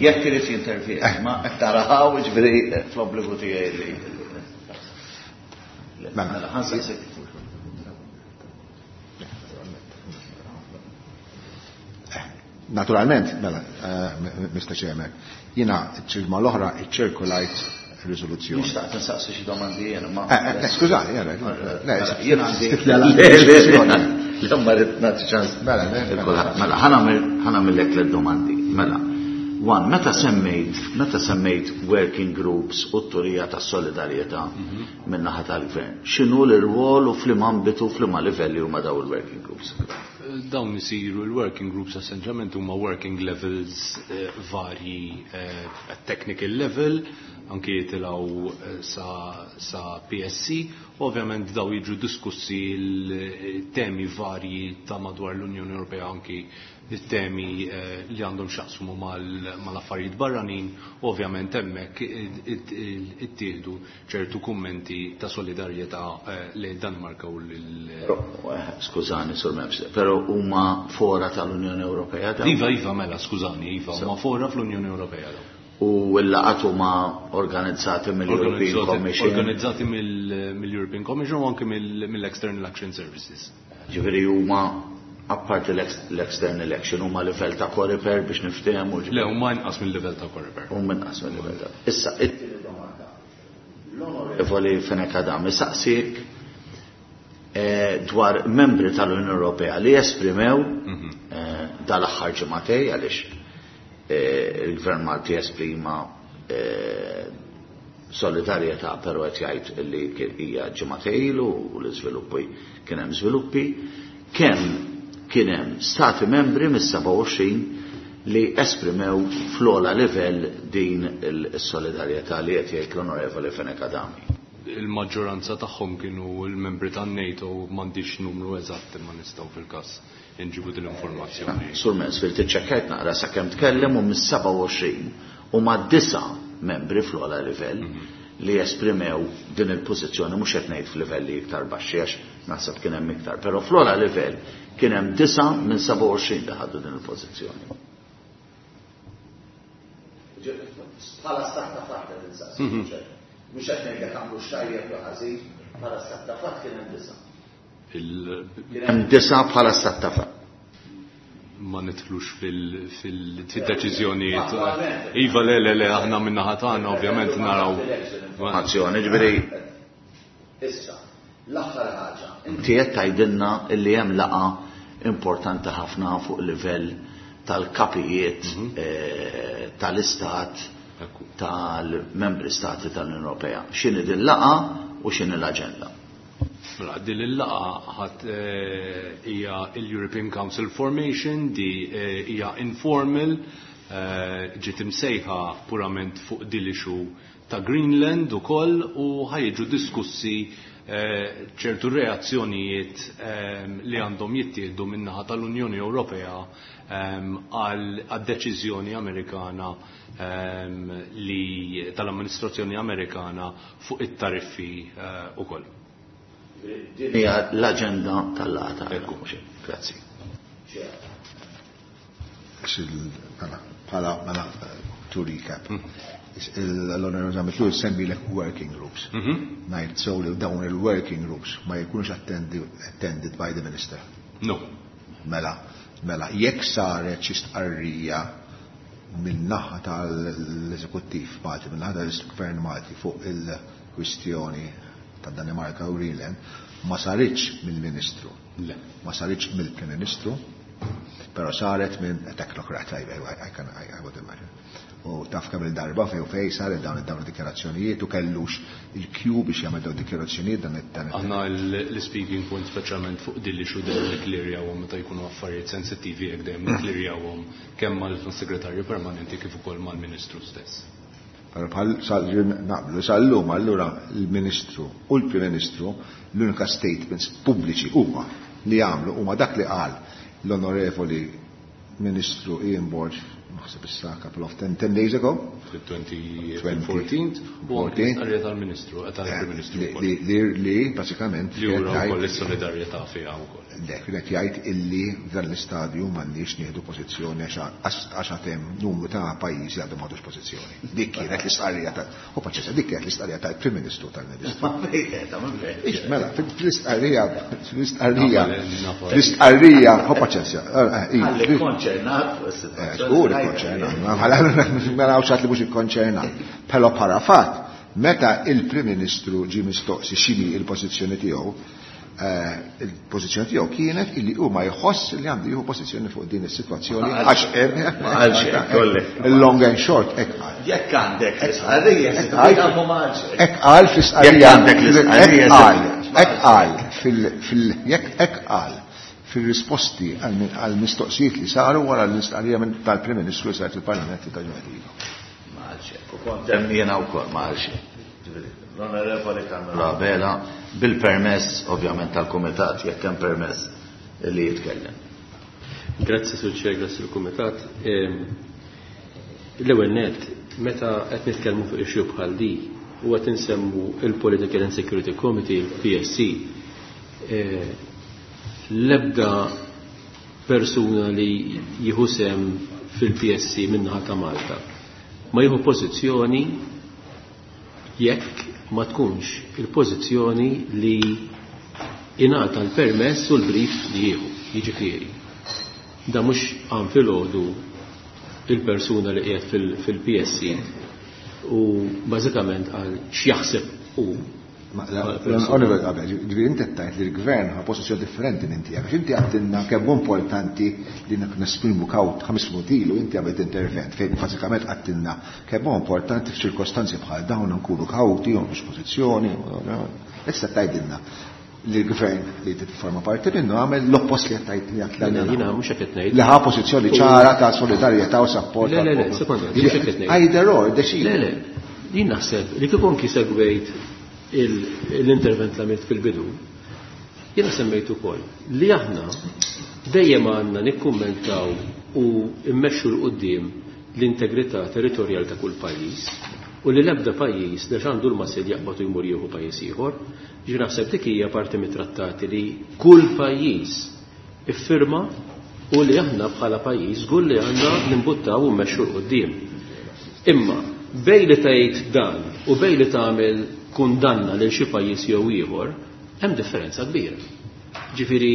Jekk irid jintervjeni, ma qed taraw jiġifieri fl-obbligu tiegħi li. Mela, ħansaqsik. Naturalment, mela, Mr. Chairman, jiena ċ-ġimgħa l-oħra iċċirkulajt riżoluzzjoni. Nixtaq tinsaqsi xi domandi jiena, ma. Skużani, jena, le, Jien għandi. stifli għal- Le, ma rrid nagħti ċans. Mela, le, Il-kulħadd. Mela, ħanamillek tliet domandi. Mela, one, meta semmejt working groups u t-turija ta' solidarjetà min-naħa tal-gvern, x'inhu l-irwol u f'liema ambitu f'liema livelli huma daw il-working groups? Dawn isiru il-working groups essenzjalment huma working levels varji at technical level, anki jitilgħu sa PSC, ovvjament daw jiġu diskussi l-temi varji ta' madwar l-Unjoni Ewropea, anki temi li għandhom x'jaqsmu mal-affarijiet barranin, ovvjament hemmhekk ittieħdu ċertu kummenti ta' solidarjetà lejn Danimarka u lil Però skużani, Sur Memx, però huma fora tal-Unjoni Ewropea dawn? Iva, iva, mela, skużani, iva, huma fora fl-Unjoni Ewropea dawn. U l-laqgħat huma organizzati mill-European Commission? Organizzati mill-European Commission u anke mill-External Action Services. Ġifieri huma apparti l-External Action huma livell ta' Coreper biex niftehmu, ġifieri? Le, huma inqas mill-livell ta' Coreper. Huma inqas mill-livell ta' Issa, it-tieni domanda. L-Onorevoli Fenech Adami saqsik dwar membri tal-Unjoni Ewropea li esprimew dal-aħħar ġimagħtej għaliex il-Gvern Malti esprima solidarjetà, però qed jgħid li hija ġimgħatejn ilu u l-iżviluppi kien hemm żviluppi, kemm kien hemm stati membri mis-27 li esprimew fl-ogħla livell din is-solidarjetà li qed jgħid l-Onorevoli Fenech Adami. Il-maġġoranza tagħhom kienu l-membri tan-NATO, m'għandix numru eżatt imma nistgħu fil-każ inġibu din l-informazzjoni. Sur Mansfield, iċċekkajt naqra sakemm tkellem u mis-27 huma 9 membri fl-ogħla livell li esprimew din il-pożizzjoni, mhux qed ngħid f'livelli iktar baxxi għax naħseb kien hemm iktar, però fl-ogħla livell kien hemm 9 minn 27 li ħadu din il-pożizzjoni. Bħala stat ta' fatt qed insaqsi, mhux qed ngħidlek għamlu x'tajjeb jew ħażin, bħala stat ta' fatt kien hemm 9. Kien hemm 9 bħala stat ta' fatt. Ma nidħlux fil-deċiżjonijiet. Iva, le, le, le, aħna min-naħa tagħna ovvjament naraw. Azzjoni, ġifieri. Issa, l-aħħar ħaġa. Inti qed tgħidilna li hemm laqgħa importanti ħafna fuq livell tal-kapijiet tal-istat tal-membri stati tal-Unjoni Ewropea. X'inhi din laqgħa u x'inhi l-aġenda? Mela, din il-laqgħa ħadd hija l-European Council Formation, di hija informal, ġiet imsejħa purament fuq din l-issue ta' Greenland ukoll u ħajġu diskussi ċertu reazzjonijiet li għandhom jittieħdu min-naħa tal-Unjoni Ewropea għal deċiżjoni Amerikana li tal-amministrazzjoni Amerikana fuq it-tariffi ukoll. Din hija l-aġenda tal-laqgħa. Ekku. Grazzi. Bħala mela to recap. L-Onorevoli Zammit Lewis semmi l working groups. Ngħid so li dawn il-working groups ma jkunux attended by the minister. No. Mela, jekk saret xi stqarrija min-naħa tal-eżekuttiv Malti, min-naħa tal-Gvern Malti fuq il-kwistjoni ta' Danimarka u Greenland, ma saritx mill-Ministru. Le. Ma saritx mill-Prim Ministru, però saret minn technocrat, I would imagine. U taf kemm il-darba fej u fej saret dawn id-dikjarazzjonijiet u kellux il-Q biex jagħmel dawn id-dikjarazzjonijiet dan Aħna l-speaking point speċjalment fuq din l-issue dejjem nikklirjawhom meta jkunu affarijiet sensittivi hekk dejjem nikklirjawhom kemm mal-segretarju permanenti kif ukoll mal-Ministru stess. Però bħal sal naqblu sal-lum allura l-Ministru u l-Prim Ministru l-unika statements pubbliċi huma li jagħmlu huma dak li qal l-Onorevoli Ministru Ian Borg, naħseb issa couple of 10 days ago. Fil-2014 u anke l-istqarrija tal-Ministru, tal-Prim Ministru Li wkoll. li basikament Li wera kienet jgħid wkoll is-solidarjetà fiha wkoll. Le, kienet jgħid illi f'dan l-istadju m'għandniex nieħdu pożizzjoni għax għad hemm numru ta' pajjiżi għadhom m'għadux pożizzjoni. Dik kienet l-istqarrija ta' u paċenza, dik kienet l-istqarrija tal-Prim Ministru tal-Ministru. Ma fejn qiegħda, ma fejn. Ix, mela, fil-istqarrija, fil-istqarrija, Nafal, nafal. fl-istqarrija, u paċenza, Għalli konċernat fuq is-sitwazzjoni. Żgur ikkonċernat, mela hawn xi ħadd li mhux ikkonċernat. Però bħala fatt, meta il-Prim Ministru ġie mistoqsi x'inhi il-pożizzjoni tiegħu, il-pożizzjoni tiegħu kienet illi huma jħoss li għandu jieħu pożizzjoni fuq din is-sitwazzjoni Ma għax hemm Ma qalx hekk, kolli. Il-long and short hekk qal. Jekk għandek l-istqarrija, Hekk qal. se ma qalx hekk. Hekk qal fl-istqarrija. Jekk għandek l-istqarrija, Hekk qal, se hekk qal fil-, fil-, jekk hekk qal fil-risposti għal mistoqsijiet li saru wara l-istqarrija tal-Prim Ministru li saret il-Parlament ta' ġimgħat ilu. Ma qalx hekk. U kont hemm jiena wkoll ma qalx hekk. L-Onorevoli Carmelo Abela, bil-permess ovvjament tal-Kumitat, jekk hemm permess li jitkellem. Grazzi Sur Chair, grazzi l-Kumitat. L-ewwel net, meta qed nitkellmu fuq issue bħal di, u qed insemmu il-Political and Security Committee, il-PSC, l-ebda persuna li jieħu sehem fil-PSC min-naħa ta' Malta ma jieħu pożizzjoni jekk ma tkunx il-pożizzjoni li ingħata l-permess u l-brief li jieħu, jiġifieri. Da mhux għam filgħodu il-persuna li qiegħed fil-PSC u bażikament għal x'jaħseb hu. Oliver, qabel, ġifieri inti tgħid li l-gvern ħa pożizzjoni differenti minn tiegħek. Għax inti għedtilna kemm hu importanti li nesprimu kawt 5 minuti ilu inti għamilt intervent fejn bażikament għedtilna kemm hu importanti f'ċirkostanzi bħal dawn nkunu kawti u mhux pożizzjoni. Issa tgħidilna li l-gvern li tifforma parti minnu għamel l-oppost li għedt li għedtilna. Jiena mhux hekk qed ngħid. Li ħa pożizzjoni ċara ta' solidarjetà u support. Le, le, le, sekonda, mhux hekk qed ngħid. Either or, deċidi. Le, le, jien naħseb li kieku anki segwejt l-intervent li għamilt fil-bidu, jiena semmejt ukoll li aħna dejjem għandna nikkummentaw u mmexxu 'l quddiem l-integrità territorjali ta' kull pajjiż u li l-ebda pajjiż li għandu l-muscle jaqbad u jmur jieħu pajjiż ieħor. Ġi naħseb dik hija parti mit-trattati li kull pajjiż iffirma u li aħna bħala pajjiż żgur li għandna nimbuttaw u mmexxu 'l quddiem. Imma bejn li tgħid dan u bejn li tagħmel kundanna lil xi pajjiż jew ieħor, hemm differenza kbira. Ġifieri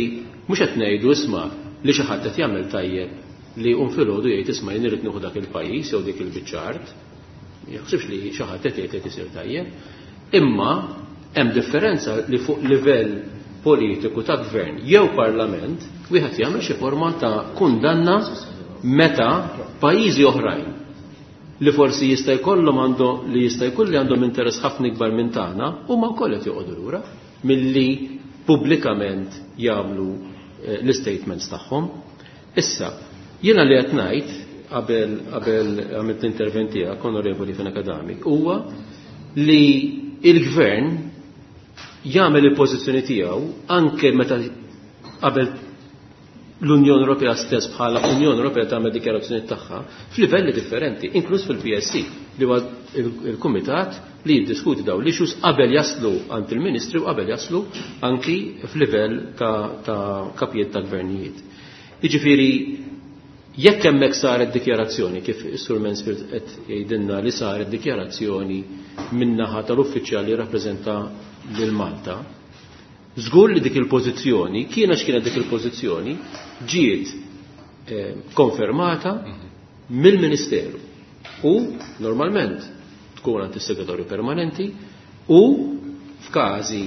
mhux qed ngħidu isma' li xi ħadd qed jagħmel tajjeb li jqum filgħodu jgħid isma' jien irid nieħu dak il-pajjiż jew dik il-biċċa art. Jaħsibx li xi ħadd qed jgħid qed isir tajjeb. Imma hemm differenza li fuq livell politiku ta' gvern jew parlament wieħed jagħmel xi forma ta' kundanna meta pajjiżi oħrajn li forsi jista' jkollhom għandhom li jista' jkun li għandhom interess ħafna ikbar minn tagħna huma wkoll qed joqogħdu lura milli pubblikament jagħmlu l-statements tagħhom. Issa, jiena li qed ngħid qabel għamilt l-intervent tiegħek, Onorevoli Fenech Adami, huwa li il-gvern jagħmel il-pożizzjoni tiegħu anke meta qabel l-Unjoni Ewropea stess bħala Unjoni Ewropea tagħmel dikjarazzjoni tagħha f'livelli differenti, inkluż fil-PSC li huwa il-kumitat li jiddiskuti dawn l-issues qabel jaslu għand il-Ministri u qabel jaslu anki f'livell ta' kapijiet ta' gvernijiet. Jiġifieri jekk hemmhekk saret dikjarazzjoni kif is-Sur Mansfield qed jgħidilna li saret dikjarazzjoni min-naħa tal-uffiċjal li rappreżenta lil Malta, żgur li dik il-pożizzjoni, kiena x'kienet dik il-pożizzjoni, ġiet konfermata mill-Ministeru u normalment tkun għand is-segretarju permanenti u f'każi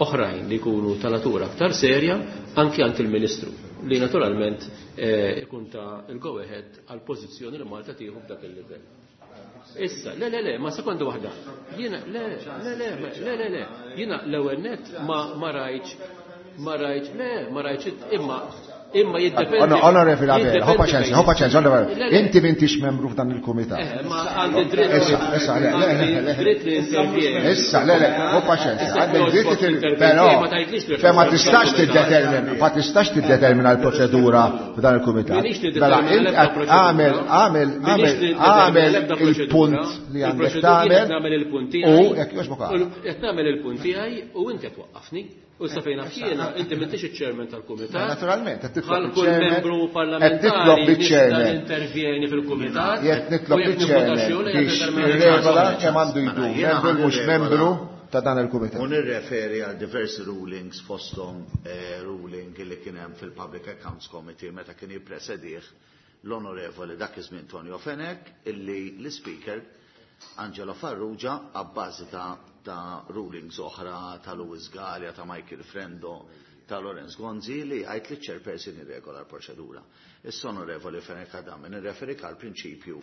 oħrajn li jkunu ta' natura aktar serja anki għand il-Ministru li naturalment ikun ta' il-go ahead għal pożizzjoni li Malta tieħu f'dak il-livell. Issa, le, le, le, ma sekonda waħda. Jiena, le, le, le, le, le, le, jiena l-ewwel net ma rajtx, le, ma rajtx, imma jiddependi. Onorevoli Abela, ħu paċenzja, ħu paċenzja, onorevoli. Inti m'intix membru f'dan il-kumitat. Ma għandi dritt. Issa, issa, le, le, le, le. Dritt li intervjeni. Issa, le, le, ħu paċenzja. Għandek dritt li però, cioè ma tistax tiddetermina, ma tistax tiddetermina l-proċedura f'dan il-kumitat. Minix Mela, niddetermina int l-ebda proċedura. għamel, għamel, Minix għamel, niddetermina għamel l-ebda proċedura. il-punt li għandek Il-proċedura tagħmel. qed nagħmel il-punt U tiegħi. jekk jogħġbok għala. Qed nagħmel il-punt tiegħi u inti qed twaqqafni. U sa fejn naf jiena, inti m'intix iċ-chairman tal-kumitat. Naturalment, qed titlob Bħal kull il-chairman- membru qed titlob parlamentari nista' liċ-chairman. nintervjeni fil-kumitat. Jekk nitlob u jekk nivvota liċ-chairman xi jew biex le, irregola kemm għandu jdum, Jiena membru mhux ħan irregola. membru ta' dan il-kumitat. U nirreferi għal diversi rulings fosthom ruling li kien hemm fil-Public Accounts Committee meta kien jippresedih l-onorevoli dak iż-żmien Tonio Fenech illi l-Speaker Angelo Farrugia abbażi ta' rulings oħra ta' Louis Galea, ta' Michael Frendo, ta' Lawrence Gonzi li għajt li chairperson irregola l-proċedura. Issa onorevoli Fenech Adami nirreferi għal prinċipju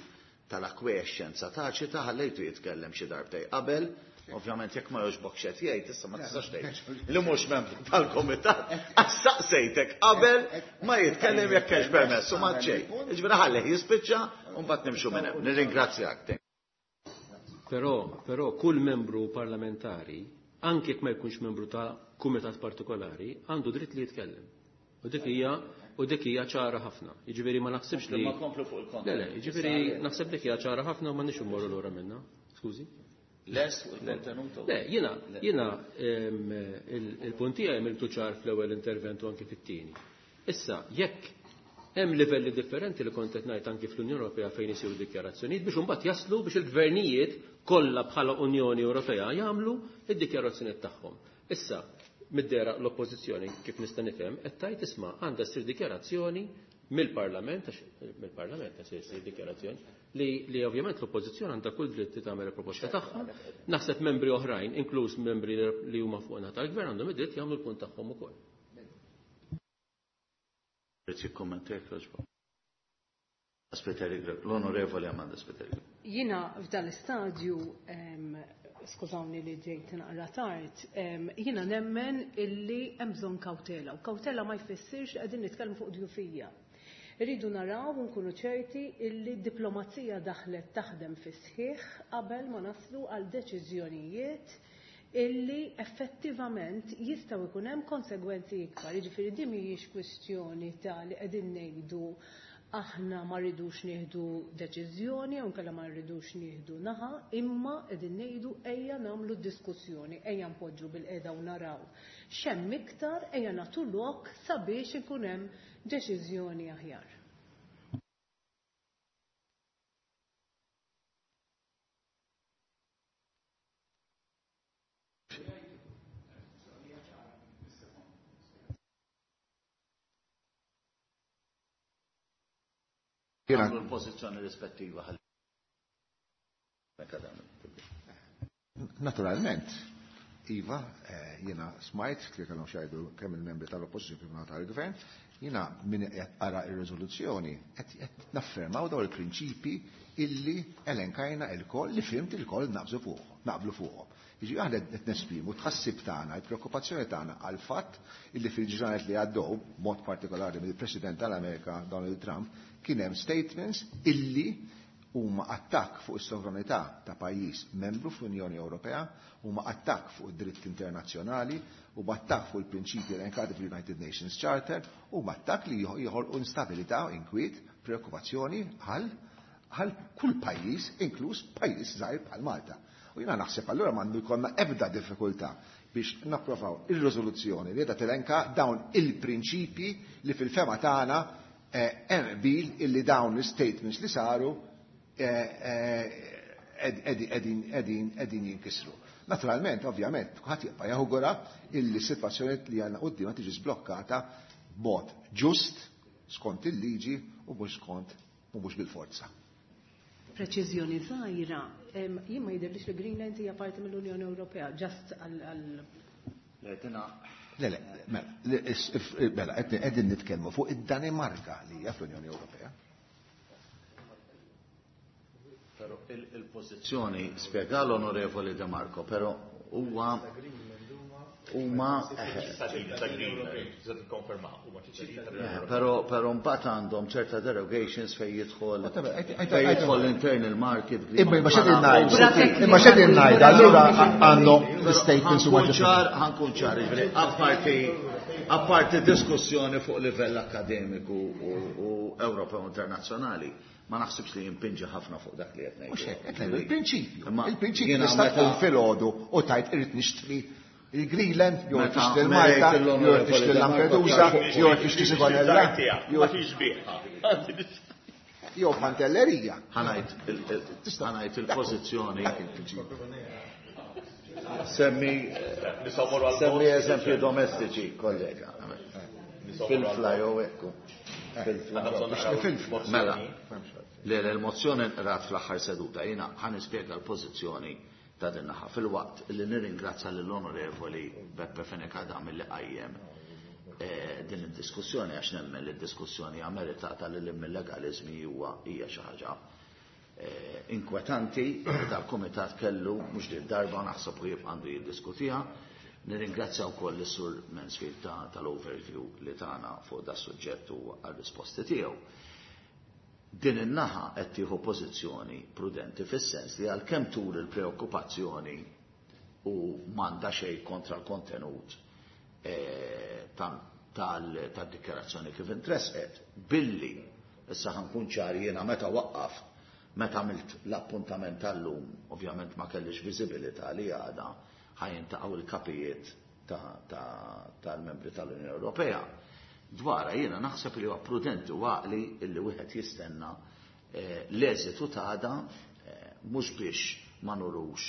tal-acquiescenza taċita ħallejtu jitkellem xi darbtej qabel, ovvjament jekk ma jogħġbok x'qed jgħid, issa ma tistax tgħid li mhux membru tal-komitat, għax saqsejtek qabel ma jitkellem jekk hemmx permess u ma xejn. Jiġifieri ħallih jispiċċa u mbagħad nimxu minn hemm. Nirringrazzjak. Però kull membru parlamentari, anke jekk ma jkunx membru ta' kumitat partikolari, għandu dritt li jitkellem. U dik hija ċara ħafna. Jiġifieri ma naħsibx li Ma komplu fuq il-kont. Le, le, jiġifieri naħseb dik hija ċara ħafna u ma nix immorru lura minnha. Skużi? Les fuq il-kontenut. Le, jiena il-punt tiegħi għamiltu ċar fl-ewwel intervent u anki fit-tieni. Issa, jekk hemm livelli differenti li kont qed ngħid anki fl-Unjoni Ewropea fejn isiru dikjarazzjonijiet biex imbagħad jaslu biex il-gvernijiet kollha bħala Unjoni Ewropea jagħmlu id-dikjarazzjonijiet tagħhom. Issa, mid-dera l-oppożizzjoni kif nista' nifhem qed tgħid isma' għandha ssir dikjarazzjoni. mill-Parlament, għax mill-Parlament se jsir dikjarazzjoni, li ovvjament l-Oppożizzjoni għandha kull dritt li tagħmel il-proposta tagħha, naħseb membri oħrajn, inkluż membri li huma fuq naħa tal-Gvern għandhom id-dritt jagħmlu l-punt tagħhom ukoll. L-Onorevoli Amanda Spiteri. Jiena f'dan l-istadju, skużawni li ġejt naqra tard, jiena nemmen illi hemm bżonn kawtela. U kawtela ma jfissirx li qegħdin nitkellmu fuq djufija. Irridu naraw u nkunu ċerti illi d-diplomazija daħlet taħdem fis-sħiħ qabel ma naslu għal deċiżjonijiet illi effettivament jistgħu jkun hemm konsegwenzi ikbar. Jiġifieri din mhijiex kwistjoni ta' li qegħdin ngħidu aħna ma rridux nieħdu deċiżjoni jew inkella ma rridux nieħdu naħa, imma qegħdin ngħidu ejja nagħmlu diskussjoni, ejja npoġġu bil-qiegħda u naraw x'hemm iktar, ejja nagħtu lok sabiex ikun hemm deċiżjoni aħjar. Għamlu l-pożizzjoni rispettiva ħalli. Naturalment, Iva, jiena smajt li kellhom xajdu kemm il-membri tal-Oppożizzjoni kif tal-Gvern, jiena min qed qara ir-riżoluzzjoni qed naffermaw dawn il-prinċipi illi elenkajna il-koll li fimt il-koll naqbżu fuq, naqblu fuqhom. Jiġi aħna qed nesprimu tħassib tagħna, il-preokkupazzjoni tagħna għal fatt illi fil-ġranet li għaddew, mod partikolari mill-President tal-Amerika Donald Trump, kien hemm statements illi huma attakk fuq is-sovranità ta' pajjiż membru fl-Unjoni Ewropea, huma attakk fuq id-dritt internazzjonali, huma attakk fuq il-prinċipji elenkati fil-United Nations Charter, huma attakk li joħolqu instabilità, inkwiet, preokkupazzjoni għal kull pajjiż, inkluż pajjiż żgħir bħal Malta. U jiena naħseb allura m'għandu jkollna ebda diffikultà biex napprovaw ir-riżoluzzjoni li qiegħda telenka dawn il-prinċipji li fil-fema tagħna hemm qbil illi dawn l-statements li saru qegħdin jinkisru. Naturalment, ovvjament, kulħadd jibqa' jawgura illi s-sitwazzjoni li għandna quddiemha tiġi sblokkata b'mod ġust skont il-liġi u mhux skont u mhux bil-forza. Preċiżjoni żgħira, jien ma jidhirlix li Greenland hija parti mill-Unjoni Ewropea, ġast għal Le, le, mela, qegħdin nitkellmu fuq id-Danimarka li hija fl-Unjoni Ewropea. Però il-pożizzjoni spjega l-Onorevoli De Marco, però huwa huma però mbagħad għandhom ċerta derogations fejn jidħol fejn l-internal market. Imma x'qegħdin ngħidu? Imma x'qegħdin ngħidu? Allura għandhom l-statements huma ċar, ħankun ċar, jiġifieri apparti diskussjoni fuq livell akkademiku u Ewropew internazzjonali, ma naħsibx li jimpinġi ħafna fuq dak li qed ngħidu. Mhux hekk, qed ngħidu il-prinċipju. Il-prinċipju tista' tkun filgħodu u tajt irid nixtri il-Greenland, jew tixtri l-Malta, jew tixtri l-Lampedusa, jew tixtri Sigonella, jew Pantellerija. Ħanajt il-pożizzjoni. Semmi eżempji domestiċi, kollega. Fil-fla jew ekku. Fil-fla. Mela, l-mozzjoni nqrat fl-aħħar seduta, jiena ħa nispjega l-pożizzjoni ta' din naħa fil-waqt li nirringrazzja lill-Onorevoli Beppe Fenech Adami li qajjem din id-diskussjoni għax nemmen li d-diskussjoni hija meritata li l-illegalizmi huwa hija xi ħaġa inkwetanti dal-kumitat kellu mhux din darba naħseb u jibqa' għandu jiddiskutiha. Nirringrazzja wkoll is-Sur Mansfield tal-overview li tagħna fuq da suġġett u għar-risposti tiegħu. Din in-naħa qed tieħu pożizzjoni prudenti fis-sens li għalkemm tur il-preokkupazzjoni u m'għandha xejn kontra l-kontenut tad-dikjarazzjoni kif intresqet, billi issa ħankun ċar jiena meta waqqaf, meta għamilt l-appuntament tal-lum, ovvjament ma kellix viżibilità li għada ħajintaqgħu il-kapijiet tal-membri tal-Unjoni Ewropea. Dwara jiena naħseb li huwa prudenti u għaqli illi wieħed jistenna l-eżitu ta' għada mhux biex ma nurux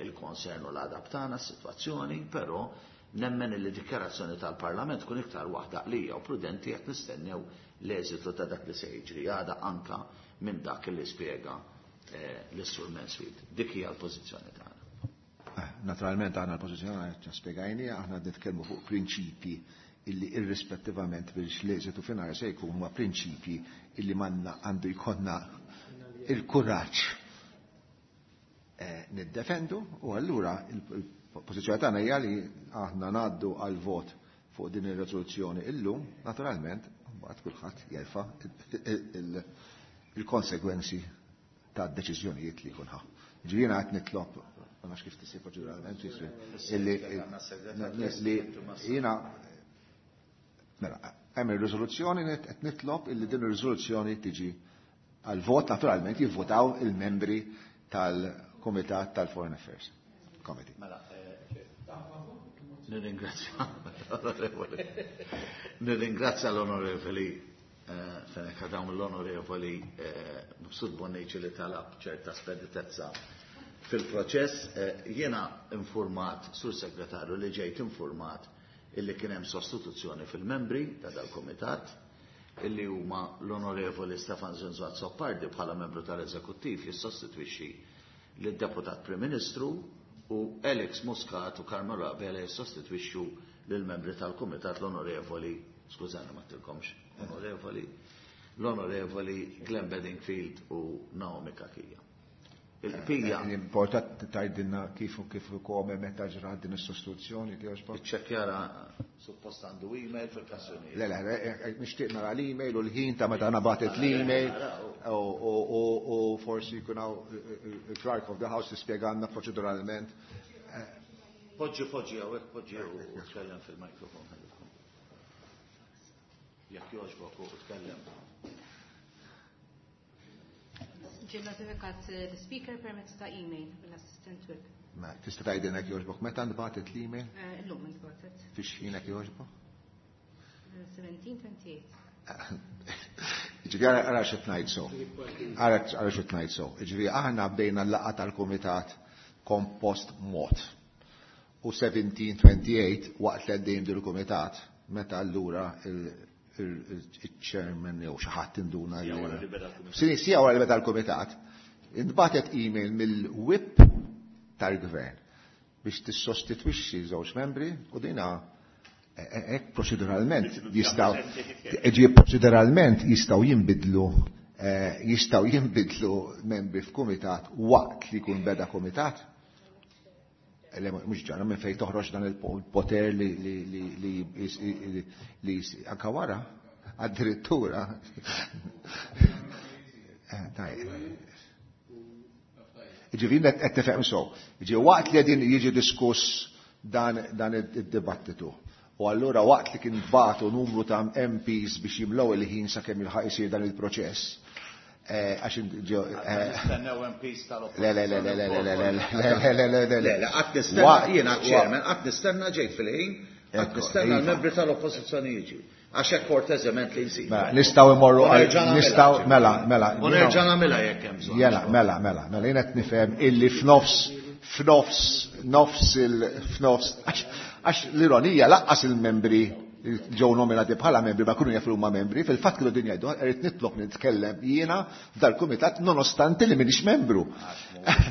il-konsern u l-għadab tagħna s-sitwazzjoni, però Nemmen li dikjarazzjoni tal-Parlament tkun iktar waħda għaqlija u prudenti jekk nistennew l-eżitu ta' dak li se jiġri għada anka minn dak li spjega l-Sur Mansfield. Dik hija l-pożizzjoni tagħna. Naturalment aħna l-pożizzjoni tagħna spjegajni, aħna nitkellmu fuq prinċipji illi irrispettivament biex l-eżitu finali se jkun huma prinċipji illi manna għandu jkollna il-kuraġġ niddefendu, u allura il-pożizzjoni tagħna hija li aħna ngħaddu għal vot fuq din ir-riżoluzzjoni illum, naturalment, mbagħad kulħadd jerfa' il-konsegwenzi tad-deċiżjonijiet li jkun ħa. Ġifieri jiena qed nitlob, ma nafx kif tisir proċeduralment, illi jiena mela hemm ir-riżoluzzjoni qed nitlob illi din ir-riżoluzzjoni tiġi għal vot, naturalment jivvotaw il-membri tal-Kumitat tal-Foreign Affairs Committee. Mela, nirringrazzja nirringrazzja l-Onorevoli Fenech Adam, l-Onorevoli Mifsud Bonnici li talab ċerta speditezza fil-proċess. Jiena informat, Sur Segretarju, li ġejt informat illi kien hemm sostituzzjoni fil-membri ta' dal-Kumitat, illi huma l-Onorevoli Stefan Zrinzo Azzopardi bħala membru tal-Eżekuttiv jissostitwixxi lid-Deputat Prim Ministru, u Alex Muscat u Carmelo Abela jissostitwixxu lill-membri tal-Kumitat l-Onorevoli, skużani ma tilkomx, Onorevoli, l-Onorevoli Glenn Bedingfield u Naomi Cachia. Il-pija. Important tajdilna kif u kif u kome meta ġrat din is-sostituzzjoni ti għax Iċċekkjara suppost għandu email fil-kassjoni. Le, le, nixtieq nara l-email u l-ħin ta' meta nabatet l-email u forsi jkun hawn il-Clerk of the House tispjegana proċeduralment. Poġġi, poġġi, hawnhekk poġġi u tkellem fil-mikrofon. Jekk jogħġbok u tkellem. Ġie notifikat l-speaker permezz ta' email mill-assistant whip. Ma tista' tgħidilna jekk jogħġbok meta ntbagħtet l-email? Illum intbagħtet. Fix ħin jekk jogħġbok? 17:28. Ġifieri ara xi tgħid so. Ara xi tgħid so. Ġifieri aħna bdejna l-laqgħa tal-kumitat kompost mod. U 17:28 waqt li għaddejjem dil kumitat meta allura il-chairman jew xi ħadd induna Sija li wara li beda l-kumitat. Sì, sija wara li beda l-kumitat, intbagħtet email mill-whip tal-gvern biex tissostitwixxi żewġ membri u dina hekk proċeduralment jistgħu ġie proċeduralment jistgħu jinbidlu jistgħu jinbidlu membri f'kumitat waqt li jkun beda kumitat. Le, mhux ġara minn fejn toħroġ dan il-poter li anka wara addirittura. Tajjeb. Ġifieri qed tifhem sew. Ġi waqt li qegħdin jiġi diskuss dan id-dibattitu. U allura waqt li kien batu numru ta' M Ps biex jimlew il-ħin sakemm ilħaq isir dan il-proċess. Għax ġew, Nistennew M Ps tal-oppożizzjoni. Le, le, le, le, le, le, le, le, le, le, le, le, le. Le, le, qatt nistenna, jiena chairman, qatt nistenna ġejt fil-ħin, qatt nistenna Iva. l-membri tal-oppożizzjoni jiġi. Għax hekk korteżement li jsir. Mela, nistgħu imorru U għal- nerġa' nagħmilha, nistgħu, ġifieri. mela, mela, U jiena- nerġa' nagħmilha jekk hemm bżonn. Jela, mela, mela, mela, jiena qed nifhem illi f'nofs, f'nofs, nofs il-, f'nofs, għax l-ironija laqqas il-membri ġew nominati bħala membri ma kunu jafu huma membri, fil-fatt kienu din jgħidu, irrid nitlob nitkellem jiena f'dal-kumitat nonostante li m'iniex membru.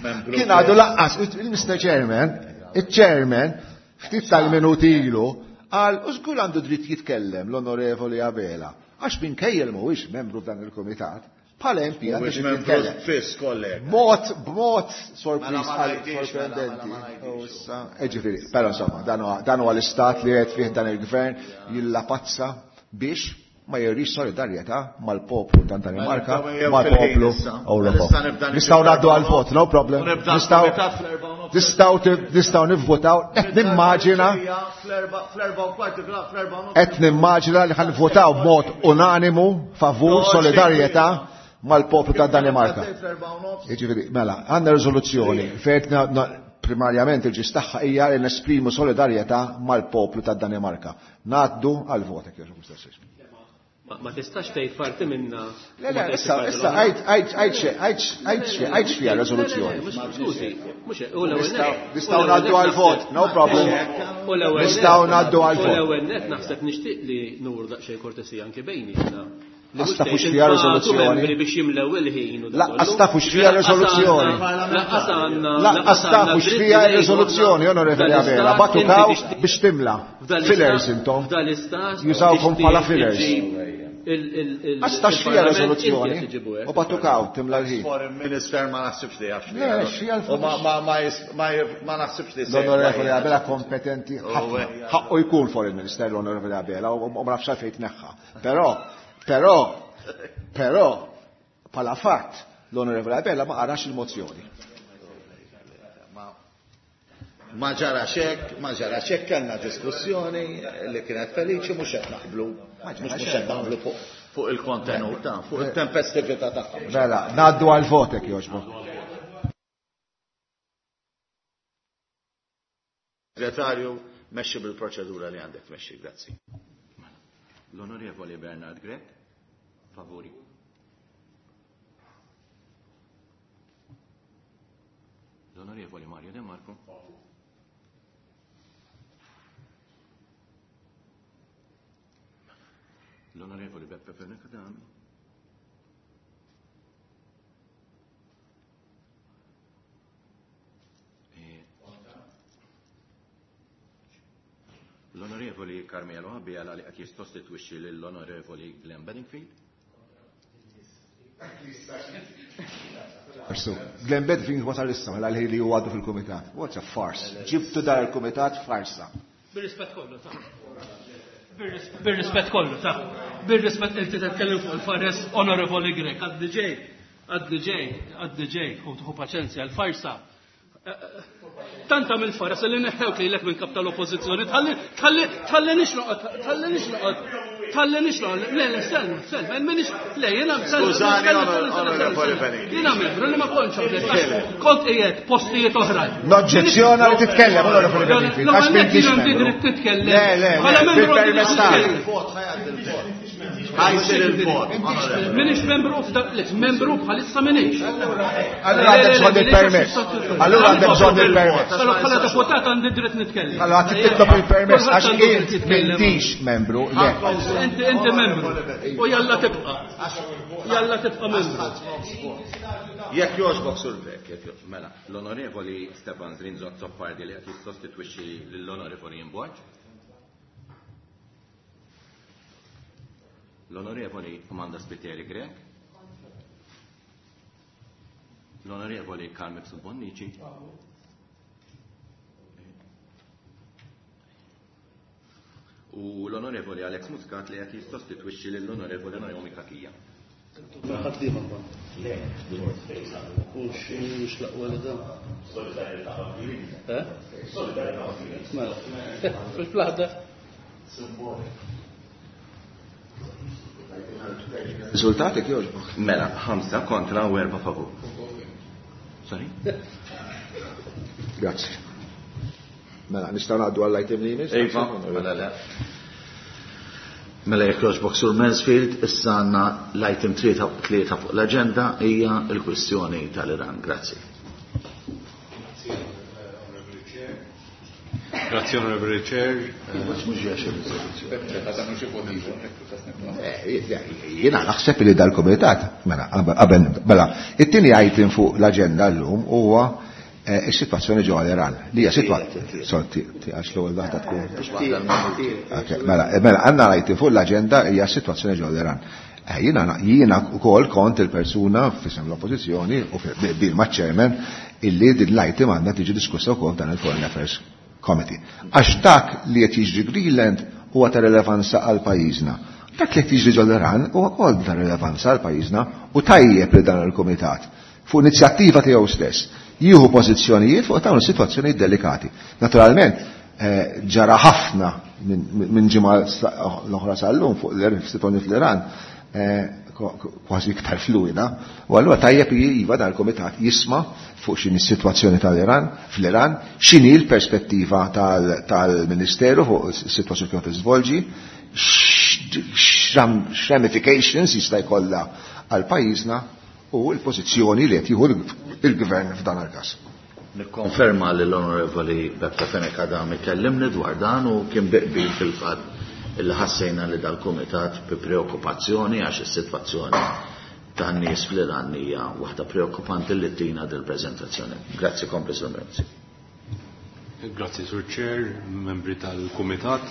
Membru Kien għadu laqqas, il-Mr. Chairman, il-Chairman, ftit tal-minuti ilu, qal, u żgur għandu dritt jitkellem l-Onorevoli Abela, għax minkejja li mhuwiex membru f'dan il-kumitat, bħala MP għandu Mhuwiex dritt membru jitkellem. fiss, kollega. B'mod, b'mod sorpriż Mela ma għal ngħidix, mela, sorprendenti. mela ma ngħidix. U issa, ġifieri, però insomma, dan huwa l-istat li qed fih dan il-gvern jillapazza biex ma jurix solidarjetà mal-poplu ta' Danimarka, Mela, nibdew mal-poplu fil-ħin issa. Ewropew. Mela, issa nibda Nistgħu ngħaddu nibda għal-vot, no problem. U nibda l-kumitat fl-erba' u nofs. Nistgħu nivvotaw, qed nimmaġina Fl-erba' u kwart, fl-erba' u nofs. Qed nimmaġina li ħanvotaw b'mod unanimu favur Toġi. solidarjetà mal-poplu ta' Danimarka. Fl-erba' u nofs. Jiġifieri, mela, għandna riżoluzzjoni fejn primarjament il-ġis tagħha hija li nesprimu solidarjetà mal-poplu ta' Danimarka. Ngħaddu għal-vot, jekk jogħġbok, Mister Sismi. Ma tistax tgħid parti minna. Le, le, issa, issa, għid, għid, għid, għid, għid x'fiha r-riżoluzzjoni. Skużi, mhux u l-ewwel nett. Nistgħu ngħaddu għall-vot, no problem. Nistgħu ngħaddu għall-vot. U l-ewwel nett naħseb nixtieq li nuru daqsxejn kortesija anke bejnietna. Lanqas tafu x'fiha riżoluzzjoni. Membri biex jimlew il-ħin u Lanqas tafu x'fiha riżoluzzjoni. Lanqas għandna. Lanqas tafu x'fiha r-riżoluzzjoni, Onorevoli Abela, batukaw biex timla. Fillers intom. Jużawkom bħala fillers. Għax taf x'fiha riżoluzzjoni. U batukaw timla l-ħin. Foreign Minister ma naħsibx li jaf x'fiha. U ma naħsibx li L-Onorevoli Abela kompetenti ħafna. Ħaqqu jkun Foreign Minister l-Onorevoli Abela u ma nafx għalfejn tneħħa. Però Però, però, bħala fatt, l-Onorevoli Abela ma qarax il-mozzjoni. Ma ġara xek, ma ġara xek, kellna diskussjoni li kienet feliċi, mhux qed naqblu, mhux qed naqblu fuq il-kontenut ta' fuq il-tempestività tagħha. Mela, ngħaddu għal votek jogħġbok. Segretarju, mexxi bil-proċedura li għandek tmexxi, grazzi. L-Onorevoli Bernard Grech, favuri. L-Onorevoli Mario De Marco. L-Onorevoli Beppe Fenech Adami. L-Onorevoli Carmelo Abela li qed jissostitwixxi lill-Onorevoli Glenn Bedingfield. Farsu. Glenn Bedingfield wasal issa mela li huwa għadu fil-kumitat. What's a farce? Ġibtu dar il-kumitat farsa. Bir-rispett kollu ta'. Bir-rispett kollu ta'. Bir-rispett inti titkellem fuq il-fares Onorevoli Grech għaddi ġej, għaddi ġej, għaddi ġej, hu paċenzja, l-farsa Tant għamil faras li neħħewk lilek minn kap tal-oppożizzjoni, tħalli tħalli tħallinix noqgħod, tħallinix noqgħod, tħallinix noqgħod. Le, le, selma, selma, minix, le, jiena Skużani, onorevoli Benini. Jiena membru li ma kontx hawnhekk, kont qiegħed postijiet oħrajn. Noġġezzjona li titkellem, onorevoli Benini, għax m'intix membru. Titkellem. Le, le, le, bil-permess tagħna. Ħajsir il-vot. Minix membru, membru bħalissa minix. Allura għandek bżonn il-permess. Allura għandek bżonn il-permess. Allura bħala deputat għandi dritt nitkellem. Allura għandek titlob il-permess għax int m'intix membru. Inti inti membru. U jalla tibqa'. Jalla tibqa' membru. Jekk jogħġbok sur Grech, jekk jogħġbok. Mela, l-Onorevoli Stefan Zrinzo Azzopardi li qed jissostitwixxi lill-Onorevoli Ian Borg. L-Onorevoli Amanda Spiteri Grech. L-Onorevoli Carmen Bonnici. U l-Onorevoli Alex Muscat li qed jissostitwixxi lill-Onorevoli Naomi Cachia. Ħaddiema kont. Le, u x'mhux l-aqwa li dan. Solidarjetà Eh? Solidarjetà Mela. Fil-plaħda. Riżultati jogħġbok. Mela, ħamsa kontra u erba' favur. Sorry? Grazzi. Mela, nistgħu ngħaddu għall-item li jmiss? Iva, mela le. Mela jekk jogħġbok Sur Mansfield, issa għandna l-item tlieta fuq l-aġenda hija l-kwistjoni tal-Iran. Grazzi. Grazzi Onorevoli Chair. Jiena naħseb li dal-komitat, mela, qabel, mela, it-tieni item fuq l-aġenda llum huwa is-sitwazzjoni ġewwa l-Iran. Li hija sitwazzjoni, għax l-ewwel waħda tkun. Mela, mela, għandna item fuq l-aġenda hija s-sitwazzjoni ġewwa l-Iran. Jiena jiena wkoll kont il-persuna f'isem l-oppożizzjoni u bil maċ-chairman illi din l-item għandha tiġi diskussa wkoll dan il-Foreign Affairs Committee. Għax dak li qed jiġri Greenland huwa ta' rilevanza għal pajjiżna. Dak li qed jiġri ġol-Iran huwa wkoll ta' rilevanza għal pajjiżna u tajjeb li dan il-kumitat fuq inizjattiva tiegħu stess jieħu pożizzjonijiet fuq dawn is-sitwazzjonijiet delikati. Naturalment, ġara ħafna minn ġimgħa l-oħra sal-lum fuq l-sitwazzjoni fl-Iran kważi iktar fluida, u allura tajjeb li iva dan il-kumitat jisma' fuq x'inhi s-sitwazzjoni tal-Iran, fl-Iran, x'inhi l-perspettiva tal-Ministeru fuq is-sitwazzjoni kif tiżvolġi, X'ramifications jista' jkollha għal pajjiżna u l-pożizzjoni li qed jieħu l-Gvern f'dan il-każ. Nikkonferma li l-Onorevoli Beppe Fenech Adami kellimni dwar dan u kien bi qbil fil-fatt illi ħassejna li dal-Kumitat bi preokkupazzjoni għax is-sitwazzjoni tan-nies fl-Iran hija waħda preokkupanti li ttina dil-preżentazzjoni. Grazzi, kompli Sur Mizzi. Grazzi Sur Chair, membri tal-Kumitat.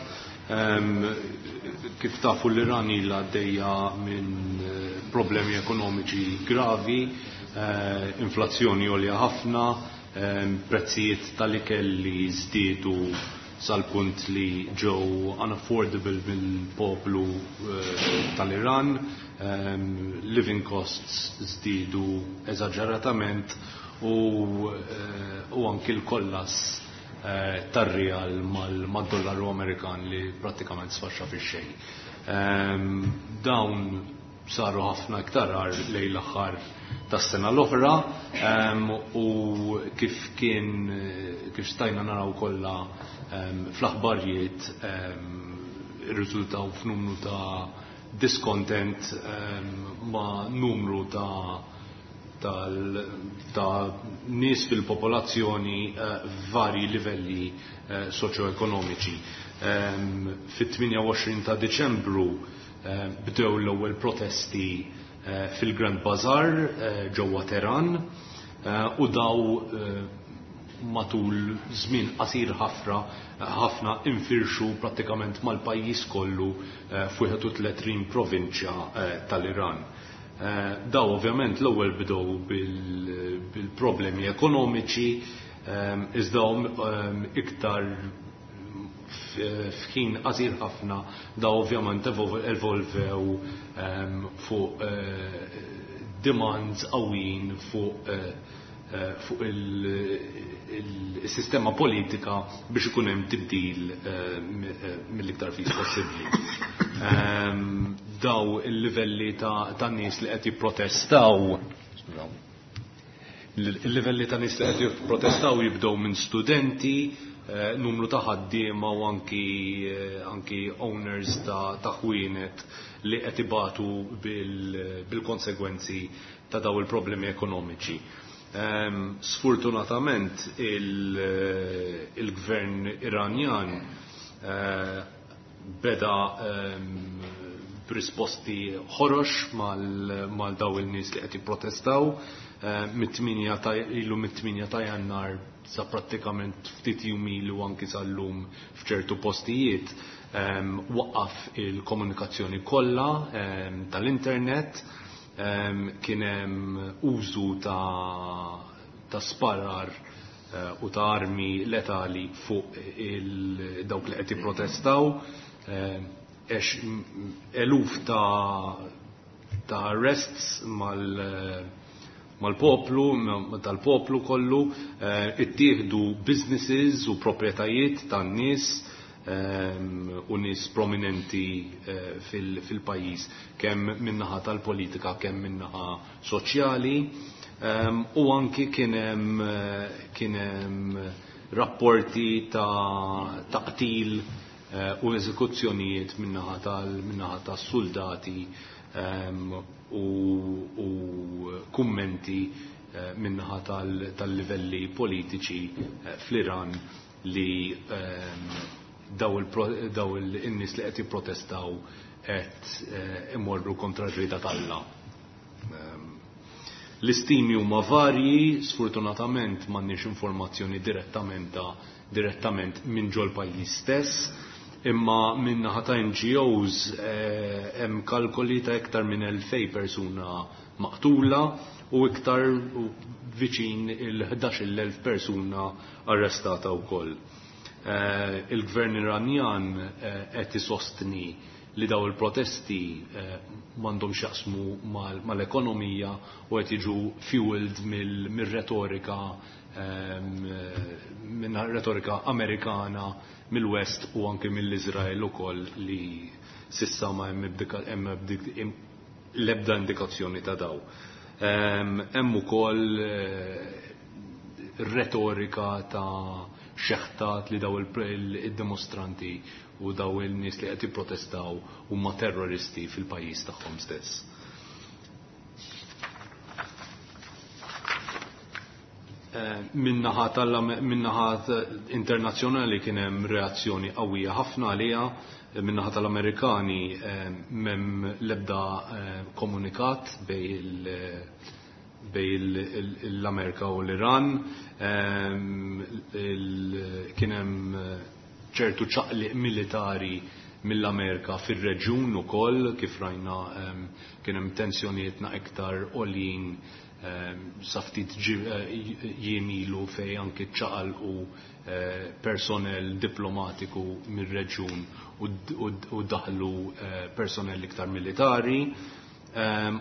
Kif tafu l-Iran ilha għaddejja minn problemi ekonomiċi gravi, inflazzjoni għolja ħafna, prezzijiet tal-ikel li żdiedu sal-punt li ġew unaffordable mill-poplu tal-Iran, living costs żdiedu eżaġeratament u anki l-kollass tar-rijal mad-dollaru Amerikan li prattikament sfaxxa fix-xejn. Dawn saru ħafna iktar agħar lejn l-aħħar tas-sena l-oħra u kif kien kif stajna naraw kollha fl-aħbarijiet irriżultaw f'numru ta' discontent ma' numru ta' nies fil-popolazzjoni f'varji livelli soċjoekonomiċi. Fit-28 ta' Diċembru bdew l-ewwel protesti fil-Grand Bazaar ġewwa Teheran u daw matul żmien qasir ħafna infirxu prattikament mal-pajjiż kollu f'31 provinċja tal-Iran. Daw ovvjament l-ewwel bdew bil-problemi ekonomiċi, iżda iktar f'ħin qasir ħafna daw ovvjament evolvew fuq demands qawwijin fuq il-sistema politika biex ikun hemm tibdil mill-iktar fis possibbli. Daw il-livelli ta' nies li qed jipprotestaw, il-livelli ta' nies li qed jipprotestaw jibdew minn studenti, numru ta' ħaddiema u anki owners ta' ħwienet li qed ibatu bil-konsegwenzi ta' daw il-problemi ekonomiċi. Sfortunatament il-gvern Iranjan beda b'risposti ħorox mal daw il-nies li qed jipprotestaw. Ilu mit-8 ta' Jannar sa prattikament ftit jum ilu anki sal-lum f'ċertu postijiet waqqaf il-komunikazzjoni kollha tal-internet, kien hemm użu ta' sparar u ta' armi letali fuq dawk li qed jipprotestaw, eluf ta' arrests mal-poplu, tal-poplu kollu, ittieħdu businesses u proprjetajiet tan-nies u nies prominenti fil-pajjiż, kemm min-naħa tal-politika, kemm min-naħa soċjali, u anki kien hemm rapporti ta' qtil u eżekuzzjonijiet min-naħa tas-soldati u kummenti min-naħa tal-livelli politiċi fl-Iran li daw in-nies li qed jipprotestaw qed imorru kontra r-rieda t'Alla. L-istimi huma varji, sfortunatament m'għandniex informazzjoni direttament minn ġol pajjiż stess, imma minn naħa ta' N G Os hemm kalkoli ta' iktar minn 2000 persuna maqtula u iktar viċin il-11,000 persuna arrestata wkoll. Il-gvern Iranjan qed isostni li daw il-protesti m'għandhomx jaqsmu mal-ekonomija u qed jiġu fueled minn retorika Amerikana, mill-West u anke mill-Izrael ukoll li sissa ma hemm l-ebda indikazzjoni ta' daw. Hemm ukoll retorika ta' xeħtat li daw il-dimostranti u daw il-nies li qed jipprotestaw huma terroristi fil-pajjiż tagħhom stess. Min-naħa tal-min-naħa internazzjonali kien hemm reazzjoni qawwija ħafna għaliha, min-naħa tal-Amerikani m'hemm l-ebda komunikat bej bej l-Amerika u l-Iran. Kien hemm ċertu ċaqliq militari mill-Amerika fir-reġjun ukoll, kif rajna kien hemm tensjonijiet iktar għoljin sa ftit jiem ilu fejn anki ċaqalqu personnel diplomatiku mir-reġjun u daħlu personnel iktar militari.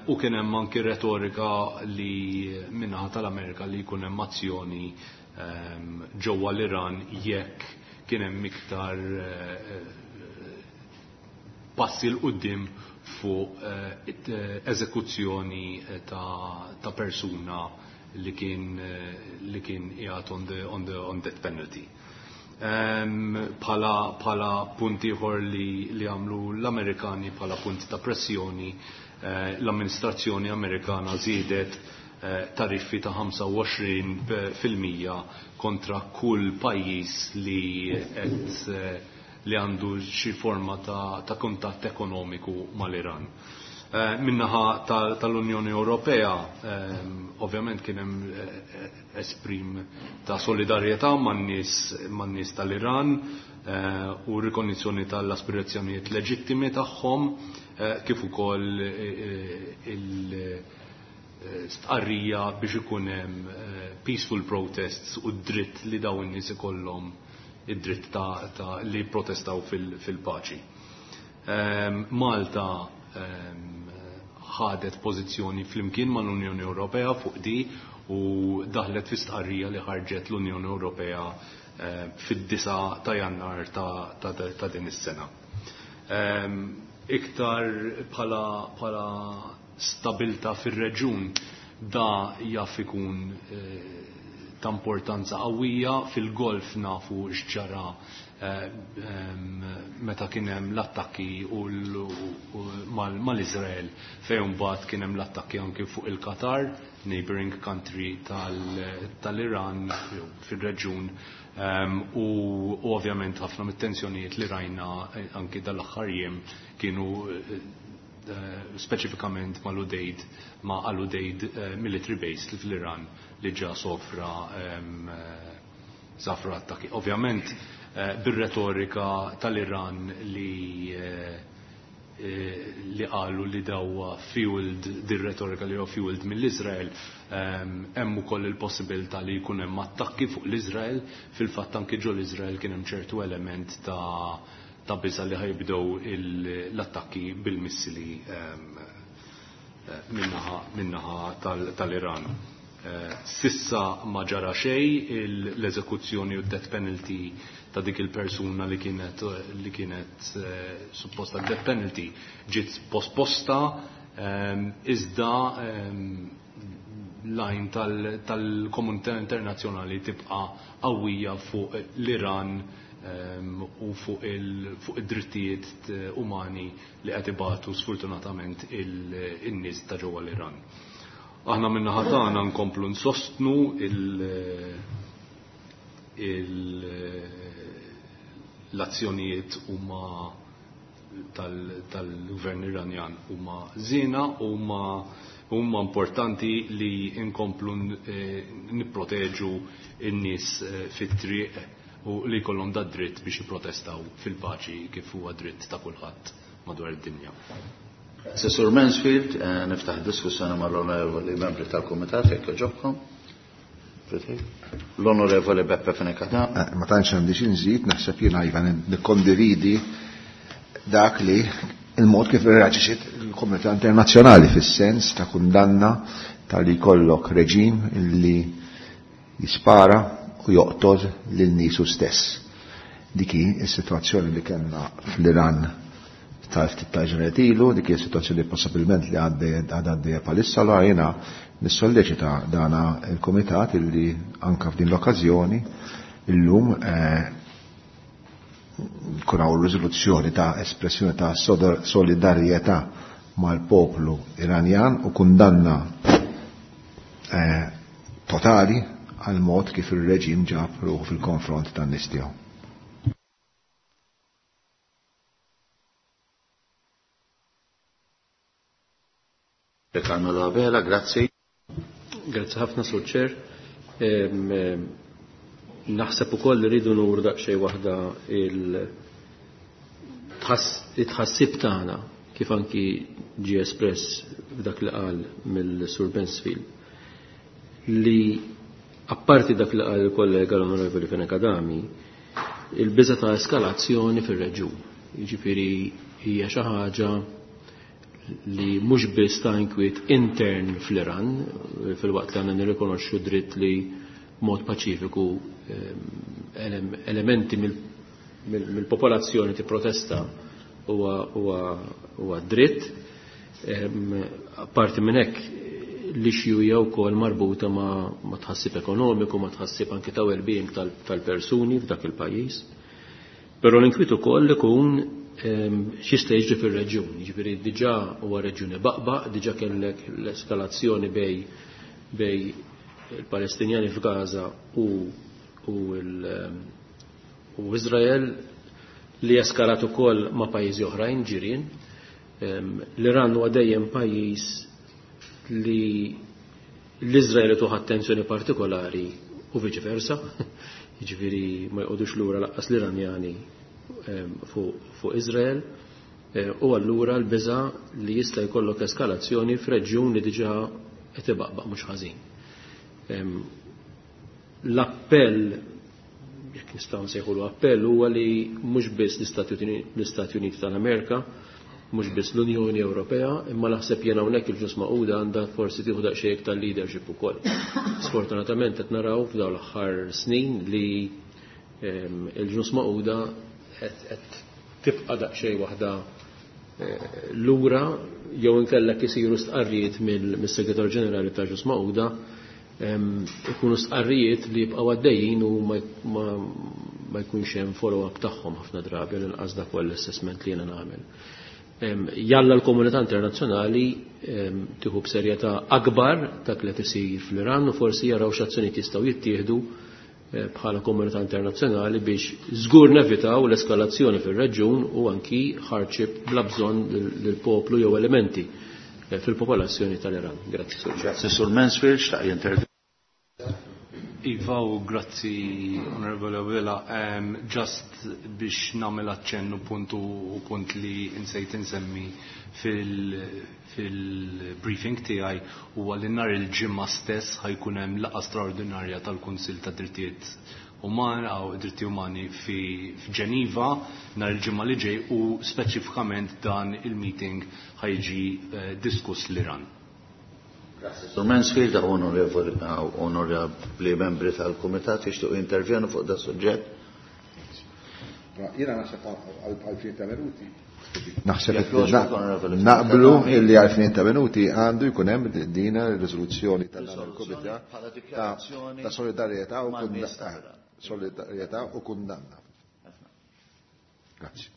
U kien hemm anki retorika li min-naħa tal-Amerika li jkun hemm azzjoni ġewwa l-Iran jekk kien hemm iktar passi 'l quddiem fuq eżekuzzjoni ta' persuna li kien li kien qiegħed on the on the on death penalty. Bħala bħala punt ieħor li li għamlu l-Amerikani bħala punt ta' pressjoni, l-amministrazzjoni Amerikana żiedet tariffi ta' 25% kontra kull pajjiż li qed li għandu xi forma ta' kuntatt ekonomiku mal-Iran. Min-naħa tal-Unjoni Ewropea, ovvjament kien hemm esprim ta' solidarjetà man-nies tal-Iran u rikonjizzjoni tal-aspirazzjonijiet leġittimi tagħhom, kif ukoll il- stqarrija biex ikun hemm peaceful protests u d-dritt li dawn in-nies ikollhom id-dritt ta' li jipprotestaw fil-paċi. Malta ħadet pożizzjoni flimkien mal-Unjoni Ewropea fuq di u daħlet fi stqarrija li ħarġet l-Unjoni Ewropea fid-9 ta' Jannar ta' din is-sena. Iktar bħala stabilta fir-reġjun da jaf ikun ta' importanza qawwija. Fil-Golf nafu x'ġara meta kien hemm l-attakki mal-Iżrael, fejn mbagħad kien hemm l-attakki anki fuq il-Qatar, neighboring country tal-Iran fir-reġjun, u ovvjament ħafna mit-tensjonijiet li rajna anki dal-aħħar jiem kienu speċifikament mal-Udeid, ma' Al-Udeid military base fl-Iran li ġa sofra safra attakki. Ovvjament bir-retorika tal-Iran li qalu li dawa fueled, dir-retorika li huwa fueled mill-Iżrael, hemm ukoll il-possibilità li jkun hemm attakki fuq l-Iżrael. Fil-fatt anki ġo l-Iżrael kien hemm ċertu element ta' biża' li ħajbdew l-attakki bil-missili minnaħa tal-Iran. Sissa ma ġara xejn, l-eżekuzzjoni u death penalty ta' dik il-persuna li kienet supposta death penalty ġiet posposta, iżda l-għajn tal-komunità internazzjonali tibqa' qawwija fuq l-Iran u fuq id-drittijiet umani li qed ibatu sfortunatament in-nies ta' ġewwa l-Iran. Aħna min-naħa tagħna nkomplu nsostnu l-azzjonijiet huma tal-gvern Iranjan huma żiena, huma importanti li nkomplu nipproteġu n-nies fit-triq u li jkollhom da dritt biex jipprotestaw fil-paċi kif huwa dritt ta' kulħadd madwar id-dinja. Sir Mansfield, niftaħ diskussjoni mal-onorevoli membri tal-Kumitat, jekk jogħġobkom. L-Onorevoli Beppe Fenech Adami. Ma tantx għandi xi nżid, naħseb jiena iva nikkondividi dak li il-mod kif irreaġixxiet il-komunità internazzjonali fis-sens ta' kundanna tal-li jkollok reġim illi jispara u joqtol lil niesu stess. Dik hi s-sitwazzjoni li kellna fl-Iran ta' ftit ta' ġranet ilu, dik hi s-sitwazzjoni possibilment li għadha għaddejja bħalissa, allura jiena nissolleċita dana il-Kumitat illi anka f'din l-okkażjoni illum kun hawn riżoluzzjoni ta' espressjoni ta' solidarjetà mal-poplu Iranjan u kundanna totali għal mod kif ir-reġim ġab ruħu fil-konfront tan-nies tiegħu. Carmelo Abela, grazzi. Grazzi ħafna, Sur Chair. Naħseb ukoll li rridu nuru daqsxejn waħda il-tħassib tagħna kif anki ġie espress f'dak li qal mill-Sur Mansfield li apparti dak li qal il-kollega l-Onorevoli Fenech Adami, il-biża ta' eskalazzjoni fir-reġjun. Jiġifieri hija xi ħaġa li mhux biss ta' inkwiet intern fl-Iran, fil-waqt li għandna nirrikonoxxu dritt li mod paċifiku elementi mill-popolazzjoni tipprotesta huwa dritt. Apparti minn hekk l-issue hija wkoll marbuta ma' tħassib ekonomiku, ma' tħassib anke ta' well-being tal-persuni f'dak il-pajjiż. Però l-inkwiet ukoll ikun x'jista' jiġri fir-reġjun. Jiġifieri diġà huwa reġjun ibaqbaq, diġà kellek l-eskalazzjoni bej il-Palestinjani f'Gaza u Izrael li eskalat ukoll ma' pajjiżi oħrajn ġirien. L-Iran huwa dejjem pajjiż li l-Izrael tuħ attenzjoni partikolari u viċi versa, jiġifieri ma jqogħdux lura laqqas l-Iranjani fuq Izrael, u allura l-biża' li jista' jkollok eskalazzjoni f'reġjun li diġà qed ibaqbaq mhux ħażin. L-appell, jekk nistgħu nsejħulu appell, huwa li mhux biss l-Istati Uniti tal-Amerika, mhux biss l-Unjoni Ewropea, imma naħseb jiena hawnhekk il-Ġnus Magħquda għandha forsi tieħu daqsxejn iktar leadership ukoll. Sfortunatament qed naraw f'dawn l-aħħar snin li il-Ġnus Magħquda qed tibqa' daqsxejn waħda lura jew inkella isiru stqarrijiet mis-Segretarju Ġenerali ta' Ġnus Magħquda, ikunu stqarrijiet li jibqgħu għaddejjin u ma jkunx hemm follow-up tagħhom ħafna drabi l-inqas dak huwa l-assessment li jiena nagħmel. Jalla l-komunità internazzjonali tieħu b'serjetà akbar dak li qed isir fl-Iran u forsi jaraw x'azzjonijiet jistgħu jittieħdu bħala komunità internazzjonali biex żgur nevitaw l-eskalazzjoni fir-reġjun u anki hardship bla bżonn lill-poplu jew elementi fil-popolazzjoni tal-Iran. Grazzi, Sur Chair. Grazzi, Sur Mansfield, xtaq jintervjeni. Iva, u grazzi, Onorevole Abela. Just biex nagħmel aċċennu punt u punt li insejt insemmi fil-briefing tiegħi huwa li nhar il-ġimgħa stess ħajkun hemm laqgħa straordinarja tal-Kunsill ta' Drittijiet Umani jew Dritti Umani f'Ġeniva nhar il-ġimgħa li ġej u speċifikament dan il-meeting ħajġi diskuss l-Iran. Grazie. Sur Mansfield, onorevoli membri tal-Kumitat jixtiequ jintervjenu fuq da suġġett. Jiena naħseb għal ftit ta' minuti. Naħseb Jekk jogħġbok, onorevoli naqblu Speaker. illi għal ftit ta' minuti għandu jkun hemm din ir-riżoluzzjoni tal Riżoluzzjoni Kumitat bħala dikjarazzjoni ta' solidarjetà u mal-nies tal-Iran. solidarjetà u kundanna. Grazzi.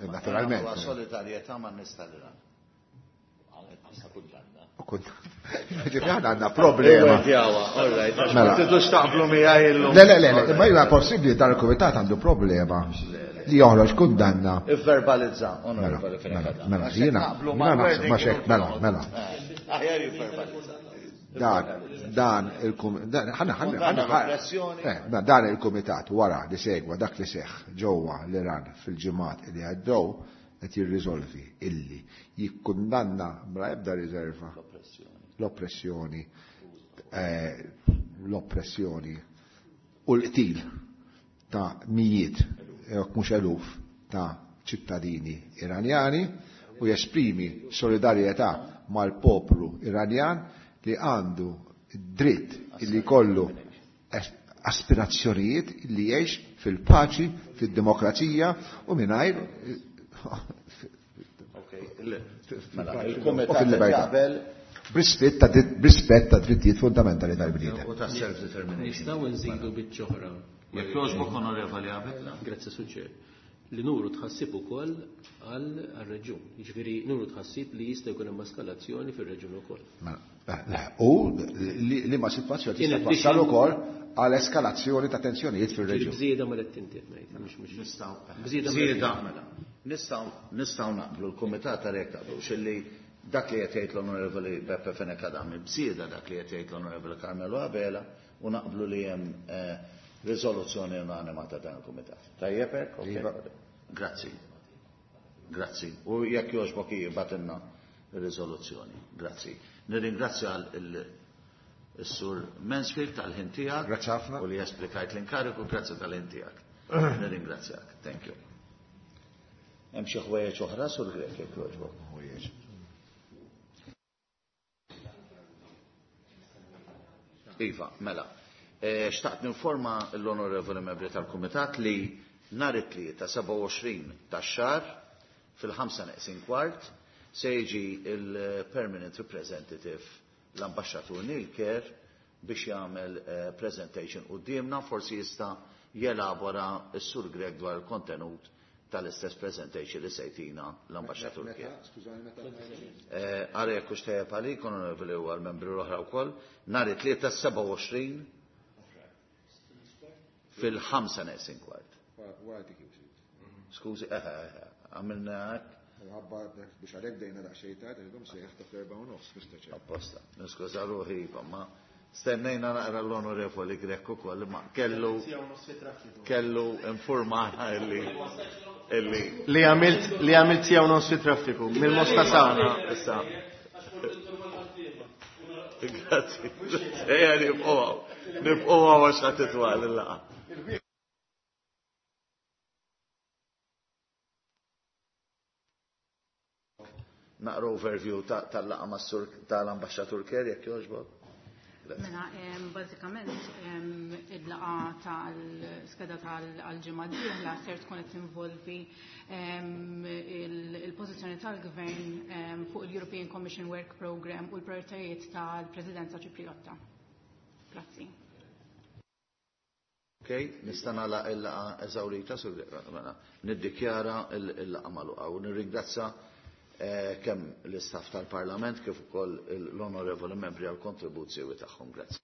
Naturalment. Nagħmlu solidarjetà man-nies tal-Iran. U kun- Ġifieri aħna għandna problema. Ewwel djawa, all right. Għax Mela. ma tidux taqblu miegħi illum. Le, le, le, le, imma hija possibbli dan il-kumitat għandu problema li joħroġ kundanna. Ivverbalizza, onorevoli Mela, Fenech mela, Adami. mela, Għax jiena, naqblu jiena ma' naħseb, wording ma xek, mela, u mela. Aħjar jivverbalizza. Dan, dan il-kum-, dan, ħana, ħana, Kundanna ħana, l-oppressjoni. mela, dan il-kumitat wara li segwa dak li seħħ ġewwa l-Iran fil-ġimgħat li għaddew qed jirriżolvi illi jikkundanna bla ebda riserva l-oppressjoni u l-qtil ta' mijiet, jekk mhux eluf, ta' ċittadini Iranjani u jesprimi solidarjetà mal-poplu Iranjan li għandu dritt illi kollu aspirazzjonijiet li jgħix fil-paċi, fid-demokrazija u mingħajr Mela, il-Kumitat jaqbel b'rispett ta' drittijiet fundamentali tal-bniedem. U ta' self-determination. Nistgħu nżidu biċċa oħra. Jekk jogħġbok Onorevoli Abela. Grazzi Suċer. Li nuru tħassib ukoll għal-reġjun. Jiġifieri nuru tħassib li jista' jkun hemm eskalazzjoni fir-reġjun ukoll. Mela, u li ma sitwazzjoni tista' twassal ukoll għal eskalazzjoni ta' tensjonijiet fir-reġjun. Bżieda ma qed tintiet ngħid, mhux nistgħu. Bżieda mela. Nistgħu naqblu l-kumitat għalhekk taqblu xilli dak li qed jgħid l-Onorevoli Beppe Fenech Adami bżieda dak li qed jgħid l-Onorevoli Carmelo Abela u naqblu li hemm riżoluzzjoni unanima ta' dan il-kumitat. Tajjeb hekk? Iva. Grazzi. Grazzi. U jekk jogħġbok jibgħatilna ir-riżoluzzjoni. Grazzi. Nirringrazzja l-Sur Mansfield tal-ħin tiegħek. Grazzi ħafna. U li esplikajt l-inkariku, grazzi tal-ħin tiegħek. Nirringrazzjak. Thank you. Hemm xi ħwejjeġ oħra sur Grek jekk jogħġbok. Ħwejjeġ. Iva, mela. Xtaqt ninforma l-onorevoli membri tal-Kumitat li nhar it-Tlieta 27 tax-xahar fil-4:45 se jiġi il-Permanent Representative l-Ambaxxatur Neil Kerr biex jagħmel presentation quddiemna, forsi jista' jelabora s-Sur Grek dwar il-kontenut tal-istess presentation li sejtina l-Ambaxxatur Kerr. Ara jekk hux tajjeb għalik, onorevoli u għall-membri l-oħra wkoll, nhar it-Tlieta 27 fil-4:45. Skużi, għamilna hekk. Ħabba biex għalhekk bdejna daqsxejn tard, għax sejħ ta' 4:30, Mr. Chair. Apposta, niskuża ruħi, iva, ma stennejna naqra l-onorevoli Grek ukoll, ma kellu informana illi illi Li għamilt siegħa u nofs fit-traffiku, mill-Mosta Sawna. Issa. Grazzi. Ejja nibqgħu. Nibqgħu għax ħadd titwal il-laqgħa. Naqra overview tal-laqgħa mas-sur tal-Ambaxxatur Kerr jekk jogħġbok. Mela, bażikament il-laqgħa tal-skeda tal-ġimgħa d-dieħla ser tkun qed tinvolvi il-pożizzjoni tal-Gvern fuq il-European Commission Work Programme u l-prioritajiet tal-Presidenza Ċipriotta. Grazzi. Ok, nista' nagħlaq il-laqgħa eżawrita sur mela niddikjara il-laqgħa magħluqa u nirringrazzja kemm l-istaff tal-Parlament kif ukoll l-onorevoli membri għall kontribuzzjoni tagħhom. Grazzi.